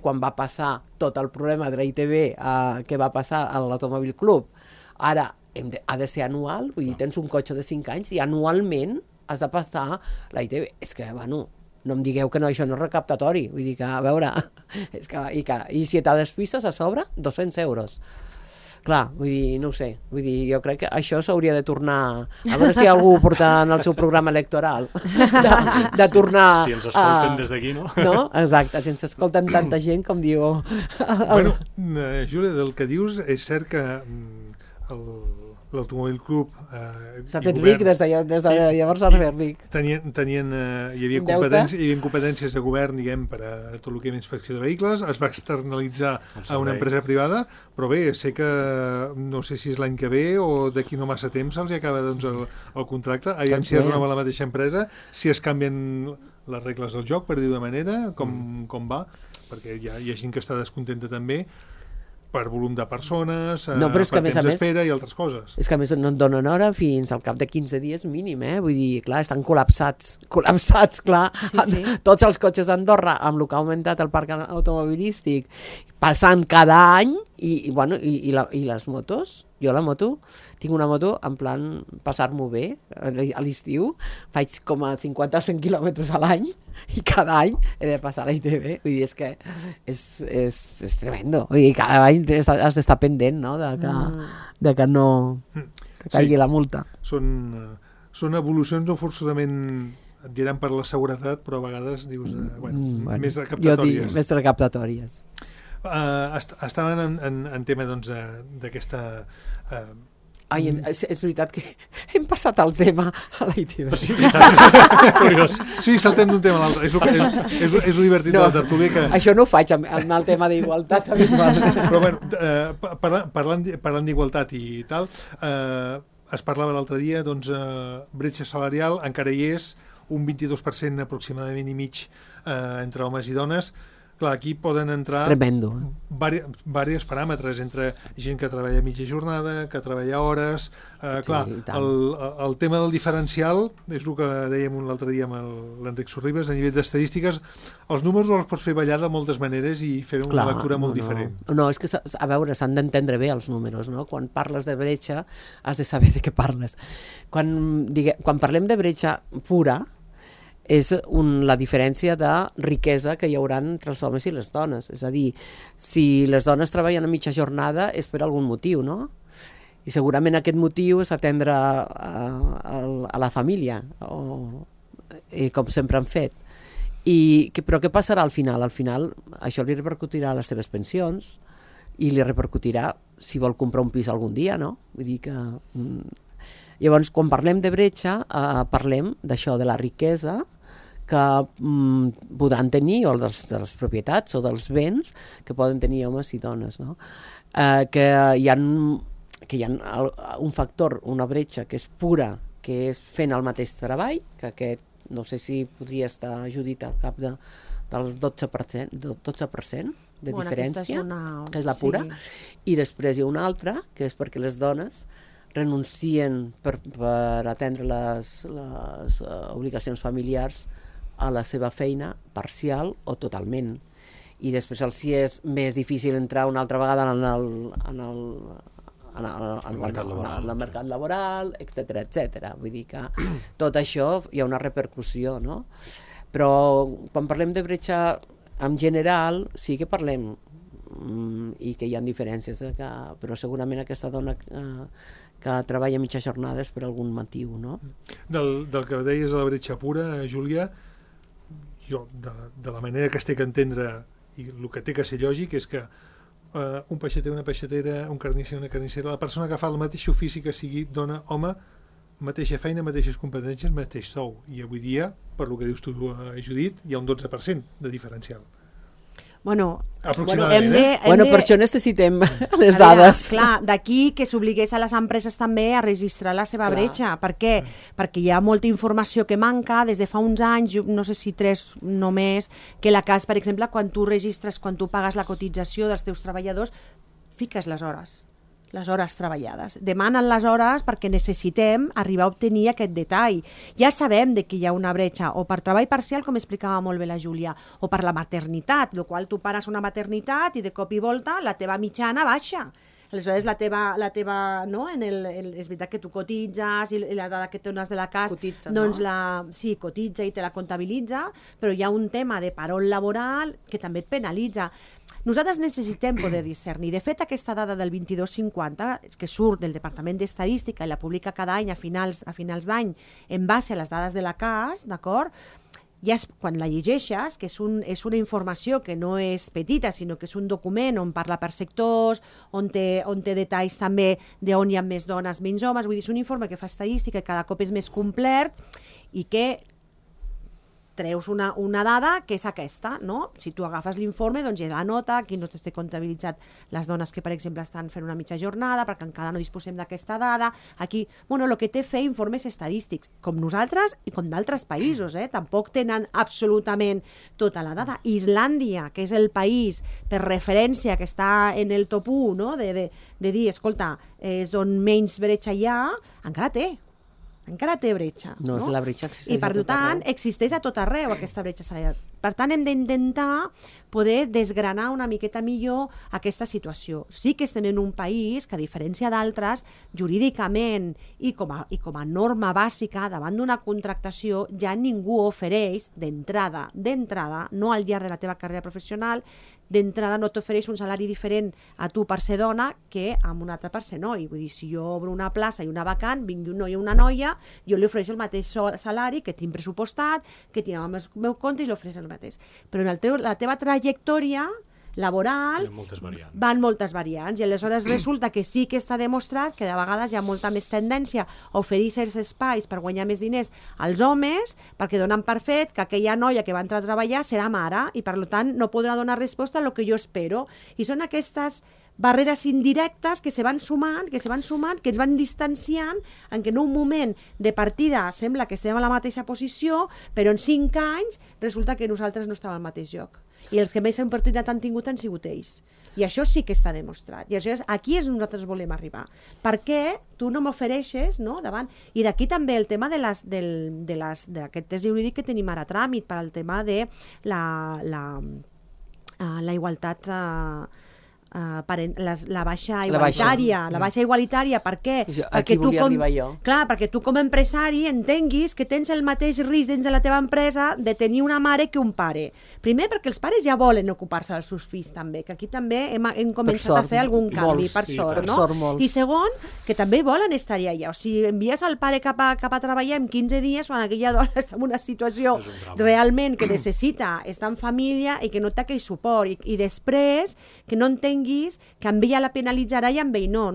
quan va passar tot el problema de la ITV que va passar a l'Automòbil Club, ara ha de ser anual, vull dir, tens un cotxe de 5 anys i anualment has de passar la ITV. És que, bueno, no em digueu que això no és recaptatori, vull dir que, a veure, i si t'ha despistes a sobre, 200 euros. Clar, vull dir, no ho sé, vull dir, jo crec que això s'hauria de tornar, a veure si algú ho porta en el seu programa electoral, de tornar... Si ens escolten des d'aquí, no? No? Exacte, si ens escolten tanta gent com diu... Bueno, Júlia, del que dius, és cert que l'Automòbil Club s'ha fet ric des de llavors s'ha fet ric. Hi havia competències de govern, diguem, per a tot el que era inspecció de vehicles, es va externalitzar a una empresa privada, però bé, sé que no sé si és l'any que ve o d'aquí no massa temps se'ls acaba el contracte, aviam si es renova la mateixa empresa, si es canvien les regles del joc, per dir-ho de manera, com va, perquè hi ha gent que està descontenta també, per volum de persones, per temps d'espera i altres coses. És que a més no et donen hora fins al cap de 15 dies mínim, vull dir, clar, estan col·lapsats, clar. Sí. Tots els cotxes d'Andorra, amb el que ha augmentat el parc automobilístic, passant cada any, i les motos, jo la moto, tinc una moto en plan passar-m'ho bé a l'estiu, faig com a 50 o 100 quilòmetres a l'any i cada any he de passar a la ITV, vull dir, és que és tremendo, vull dir, cada any has d'estar pendent, no?, de que no caigui la multa. Són evolucions no forçosament, et diran per la seguretat, però a vegades dius, més recaptatòries. Jo dic més recaptatòries. Estaven en tema d'aquesta... Ai, és veritat que hem passat el tema a la ITV. Sí, curiós. Sí, saltem d'un tema a l'altre. És lo divertit de la tertúlia que... Això no ho faig amb el tema d'igualtat. Però bueno, parlant d'igualtat i tal, es parlava l'altre dia, doncs, bretxa salarial, encara hi és, un 22% aproximadament i mig entre homes i dones. Clar, aquí poden entrar diversos paràmetres, entre gent que treballa mitja jornada, que treballa hores... Clar, el tema del diferencial, és el que dèiem l'altre dia amb l'Enric Sorribes, a nivell d'estadístiques, els números els pots fer ballar de moltes maneres i fer una lectura molt diferent. No, és que, a veure, s'han d'entendre bé els números, no? Quan parles de bretxa, has de saber de què parles. Quan parlem de bretxa pura, és la diferència de riquesa que hi haurà entre els homes i les dones. És a dir, si les dones treballen a mitja jornada és per algun motiu, no? I segurament aquest motiu és atendre a la família, com sempre han fet. Però què passarà al final? Al final això li repercutirà a les seves pensions i li repercutirà si vol comprar un pis algun dia, no? Vull dir que... Llavors, quan parlem de bretxa, parlem d'això, de la riquesa que podran tenir, o de les propietats o dels béns que poden tenir homes i dones, no? Que hi ha un factor, una bretxa que és pura, que és fent el mateix treball, que aquest no sé si podria estar, Judit, al cap del 12% de diferència, que és la pura, i després hi ha una altra, que és perquè les dones renuncien per atendre les obligacions familiars a la seva feina parcial o totalment. I després els és més difícil entrar una altra vegada en el mercat laboral, etc. Vull dir que tot això hi ha una repercussió, no? Però quan parlem de bretxa en general sí que parlem i que hi ha diferències, però segurament aquesta dona que treballa a mitja jornada és per algun motiu, no? Del que deies de la bretxa pura, Júlia, jo, de la manera que es té que entendre i el que té que ser lògic és que un peixater, una peixatera, un carnisser, una carnissera, la persona que fa el mateix ofici, que sigui dona, home, mateixa feina, mateixes competències, mateix sou. I avui dia, per lo que dius tu, Judit, hi ha un 12% de diferencial. Bueno, aproximadament, per això necessitem les dades. Clar, d'aquí que s'obligués a les empreses també a registrar la seva bretxa. Per què? Perquè hi ha molta informació que manca des de fa uns anys, no sé si 3 només, que la CAS, per exemple, quan tu registres, quan tu pagues la cotització dels teus treballadors, fiques les hores treballades. Demanen les hores perquè necessitem arribar a obtenir aquest detall. Ja sabem de que hi ha una bretxa, o per treball parcial, com explicava molt bé la Júlia, o per la maternitat, el qual tu pares una maternitat i de cop i volta la teva mitjana baixa. Aleshores, la teva no? És veritat que tu cotitzes i la dada que dones de la CAS doncs sí, cotitza i te la comptabilitza, però hi ha un tema de parol laboral que també et penalitza. Nosaltres necessitem poder discernir. De fet, aquesta dada del 22,50, que surt del Departament d'Estadística i la publica cada any a finals d'any en base a les dades de la CAS, d'acord? Ja quan la llegeixes, que és una informació que no és petita, sinó que és un document on parla per sectors, on té detalls també d'on hi ha més dones, menys homes, vull dir, és un informe que fa estadística i cada cop és més complet i que treus una dada que és aquesta, no? Si tu agafes l'informe, doncs hi ha la nota, aquí no t'està comptabilitzat les dones que, per exemple, estan fent una mitja jornada, perquè encara no disposem d'aquesta dada. Aquí, el que té fer informes estadístics, com nosaltres i com d'altres països, tampoc tenen absolutament tota la dada. Islàndia, que és el país per referència que està en el top 1, no? de dir, escolta, és d'on menys bretxa hi ha, encara té bretxa. No, la bretxa existeix i per tant existeix a tot arreu aquesta bretxa salarial. Per tant, hem d'intentar poder desgranar una miqueta millor aquesta situació. Sí que estem en un país que, a diferència d'altres, jurídicament i com a norma bàsica, davant d'una contractació, ja ningú ofereix d'entrada, no al llarg de la teva carrera professional, d'entrada no t'ofereix un salari diferent a tu per ser dona que a un altre per ser noi. Vull dir, si jo obro una plaça i una vacant, vingui un noi o una noia, jo li ofereixo el mateix salari que tinc pressupostat, que tinc al meu compte i li ofereixo el mateix. Però en la teva trajectòria laboral van moltes variants i aleshores resulta que sí que està demostrat que de vegades hi ha molta més tendència a oferir certs espais per guanyar més diners als homes perquè donen per fet que aquella noia que va entrar a treballar serà mare i per tant no podrà donar resposta a lo que jo espero. I són aquestes barreres indirectes que se van sumant, que ens van distanciant, en què en un moment de partida sembla que estem a la mateixa posició, però en 5 anys resulta que nosaltres no estàvem al mateix lloc. I els que més oportunitat han tingut han sigut ells. I això sí que està demostrat. I això aquí és on nosaltres volem arribar. Per què tu no m'ofereixes, no, davant? I d'aquí també el tema d'aquest test jurídic que tenim ara a tràmit, per al tema de la igualtat la baixa igualitària, per què? Perquè tu com a empresari entenguis que tens el mateix risc dins de la teva empresa de tenir una mare que un pare. Primer perquè els pares ja volen ocupar-se dels seus fills també, que aquí també hem començat a fer algun canvi, per sort, no? I segon, que també volen estar allà. O sigui, envies el pare cap a treballar en 15 dies quan aquella dona està en una situació realment que necessita estar en família i que no té aquell suport. I després que no entenguis que amb ella la penalitzarà i amb ell no.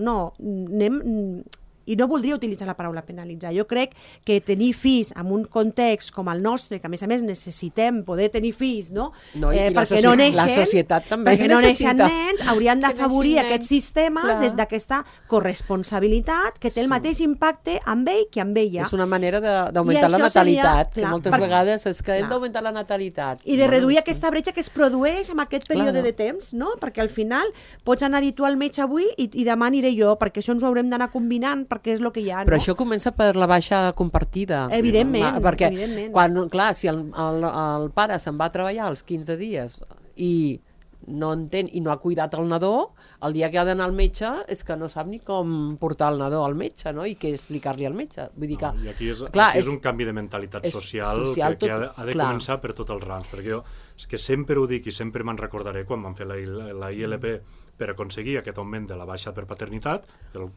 i no voldria utilitzar la paraula penalitzar. Jo crec que tenir fills en un context com el nostre, que a més necessitem poder tenir fills, no? No, i perquè no neixen, la societat també perquè no neixen necessita nens, haurien d'afavorir aquests sistemes clar. d'aquesta corresponsabilitat que té el mateix impacte amb ell que amb ella. És una manera d'augmentar la això seria, natalitat, que clar, moltes vegades és que hem d'augmentar la natalitat. I de reduir aquesta bretxa que es produeix en aquest període Clar. de temps, no? Perquè al final pots anar-hi tu al metge avui i demà aniré jo, perquè això ens ho haurem d'anar combinant, perquè és el que hi ha, no? Però això comença per la baixa compartida. Evidentment, perquè evidentment. Quan, clar, si el pare se'n va a treballar els 15 dies i no entén i no ha cuidat el nadó, el dia que ha d'anar al metge és que no sap ni com portar el nadó al metge, no? I què explicar-li al metge. Vull dir que... I aquí és, clar, aquí és un canvi de mentalitat social que ha de començar per tots els rams, perquè jo és que sempre ho dic i sempre me'n recordaré quan vam fer la ILP per aconseguir aquest augment de la baixa per paternitat,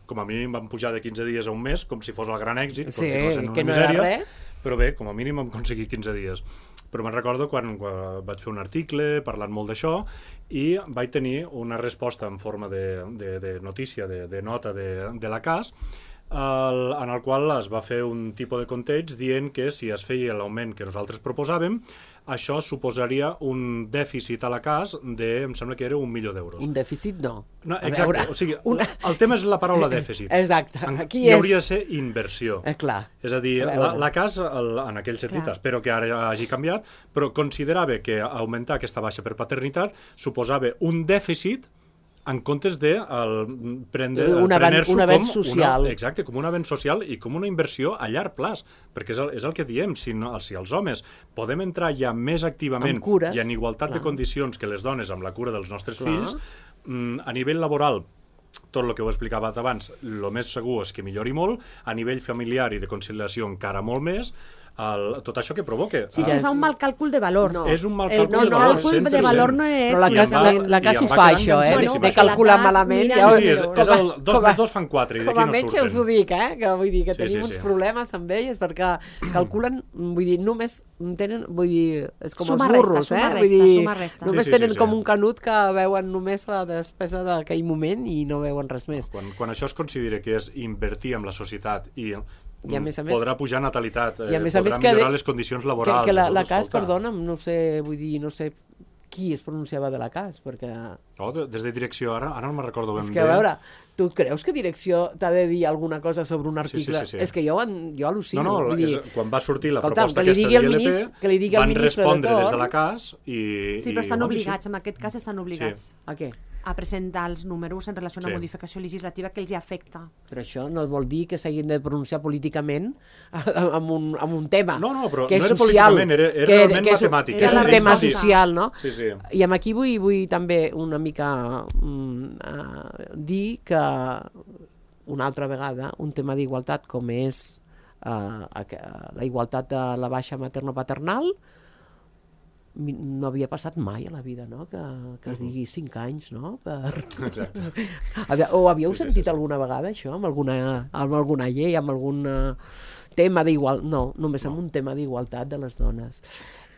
com a mínim vam pujar de 15 dies a un mes, com si fos el gran èxit, sí, una que no misèria, era res. Però bé, com a mínim vam aconseguir 15 dies. Però me'n recordo quan vaig fer un article parlant molt d'això i vaig tenir una resposta en forma de notícia, de nota de la CAS, en el qual es va fer un tipus de context dient que si es feia l'augment que nosaltres proposàvem, això suposaria un dèficit a la CAS de, em sembla que era 1 milió d'euros. Un dèficit no. Exacte, o sigui, el tema és la paraula dèficit. Exacte. Aquí hi hauria de ser inversió. Clar. És a dir, la CAS, en aquell sentit, espero que ara hagi canviat, però considerava que augmentar aquesta baixa per paternitat suposava un dèficit en comptes de prendre un avenç social. Exacte, com un avenç social i com una inversió a llarg plaç, perquè és el que diem, si els homes podem entrar ja més activament i en igualtat de condicions que les dones amb la cura dels nostres fills, a nivell laboral, tot el que ho he explicat abans, el més segur és que millori molt, a nivell familiar i de conciliació encara molt més, tot això que provoca. Sí, se fa un mal càlcul de valor. No. És un mal càlcul de valor. El càlcul de valor no és... Però la CAS ho fa, això, de calcular malament. Sí, és el 2 més 2 fan 4 i d'aquí no surten. Com a metge us ho dic, que vull dir que tenim uns problemes amb elles perquè calculen, vull dir, només tenen, vull dir, és com els burros, només tenen com un canut que veuen només la despesa d'aquell moment i no veuen res més. Quan això es considera que és invertir en la societat i a més, podrà pujar natalitat, podrà millorar les condicions laborals. Que la CAS, perdona'm, no sé, vull dir, no sé qui es pronunciava de la CAS, perquè... Des de direcció, ara no me'n recordo ben bé. És que, a veure, tu creus que direcció t'ha de dir alguna cosa sobre un article? Sí. És que jo al·lucino. No, quan va sortir la proposta aquesta de l'ILP, van respondre des de la CAS i... Sí, però estan obligats, en aquest cas estan obligats. A què? A presentar els números en relació a una modificació legislativa que els hi afecta. Però això no vol dir que s'hagin de pronunciar políticament amb un tema però que és no era social, políticament, era realment matemàtic. Que és un tema social, no? Sí. I aquí vull també una mica dir que una altra vegada un tema d'igualtat com és la igualtat de la baixa materno-paternal no havia passat mai a la vida, no? Que es digui 5 anys, no? Exacte. O havíeu sentit alguna vegada això, amb alguna llei, amb algun tema d'igualtat? No, només amb un tema d'igualtat de les dones.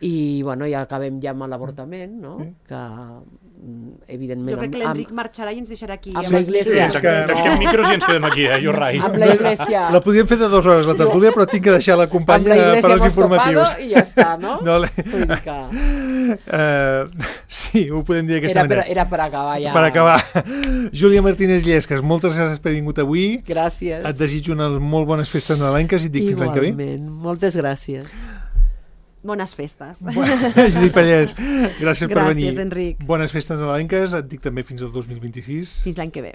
I, bueno, ja acabem ja amb l'avortament, no? Que, evidentment... Jo crec que l'Enric marxarà i ens deixarà aquí. Amb l'Església. Tanquem micros i ens quedem aquí, you're right. Amb l'Església. La podíem fer de 2 hores, la tertúlia, però tinc que deixar la companya per als informatius. I ja està, no? Vull dir que... Sí, ho podem dir d'aquesta manera. Era per acabar ja. Per acabar. Júlia Martínez Llesques, moltes gràcies per haver vingut avui. Gràcies. Et desitjo unes molt bones festes nadalenques i et dic fins l'any que ve. Igualment, moltes gràcies. Bones festes. Judit Pallès, gràcies per venir. Gràcies, Enric. Bones festes nadalenques, et dic també fins al 2026. Fins l'any que ve.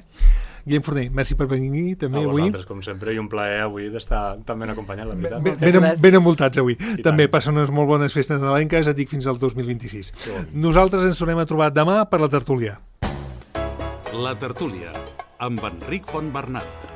Guillem Forner, merci per venir també avui. A vosaltres, com sempre, i un plaer avui d'estar tan ben acompanyat, la veritat. Ben envoltats avui. També passen unes molt bones festes nadalenques, et dic fins al 2026. Nosaltres ens tornem a trobar demà per la tertúlia. La tertúlia, amb Enric Fontbernat.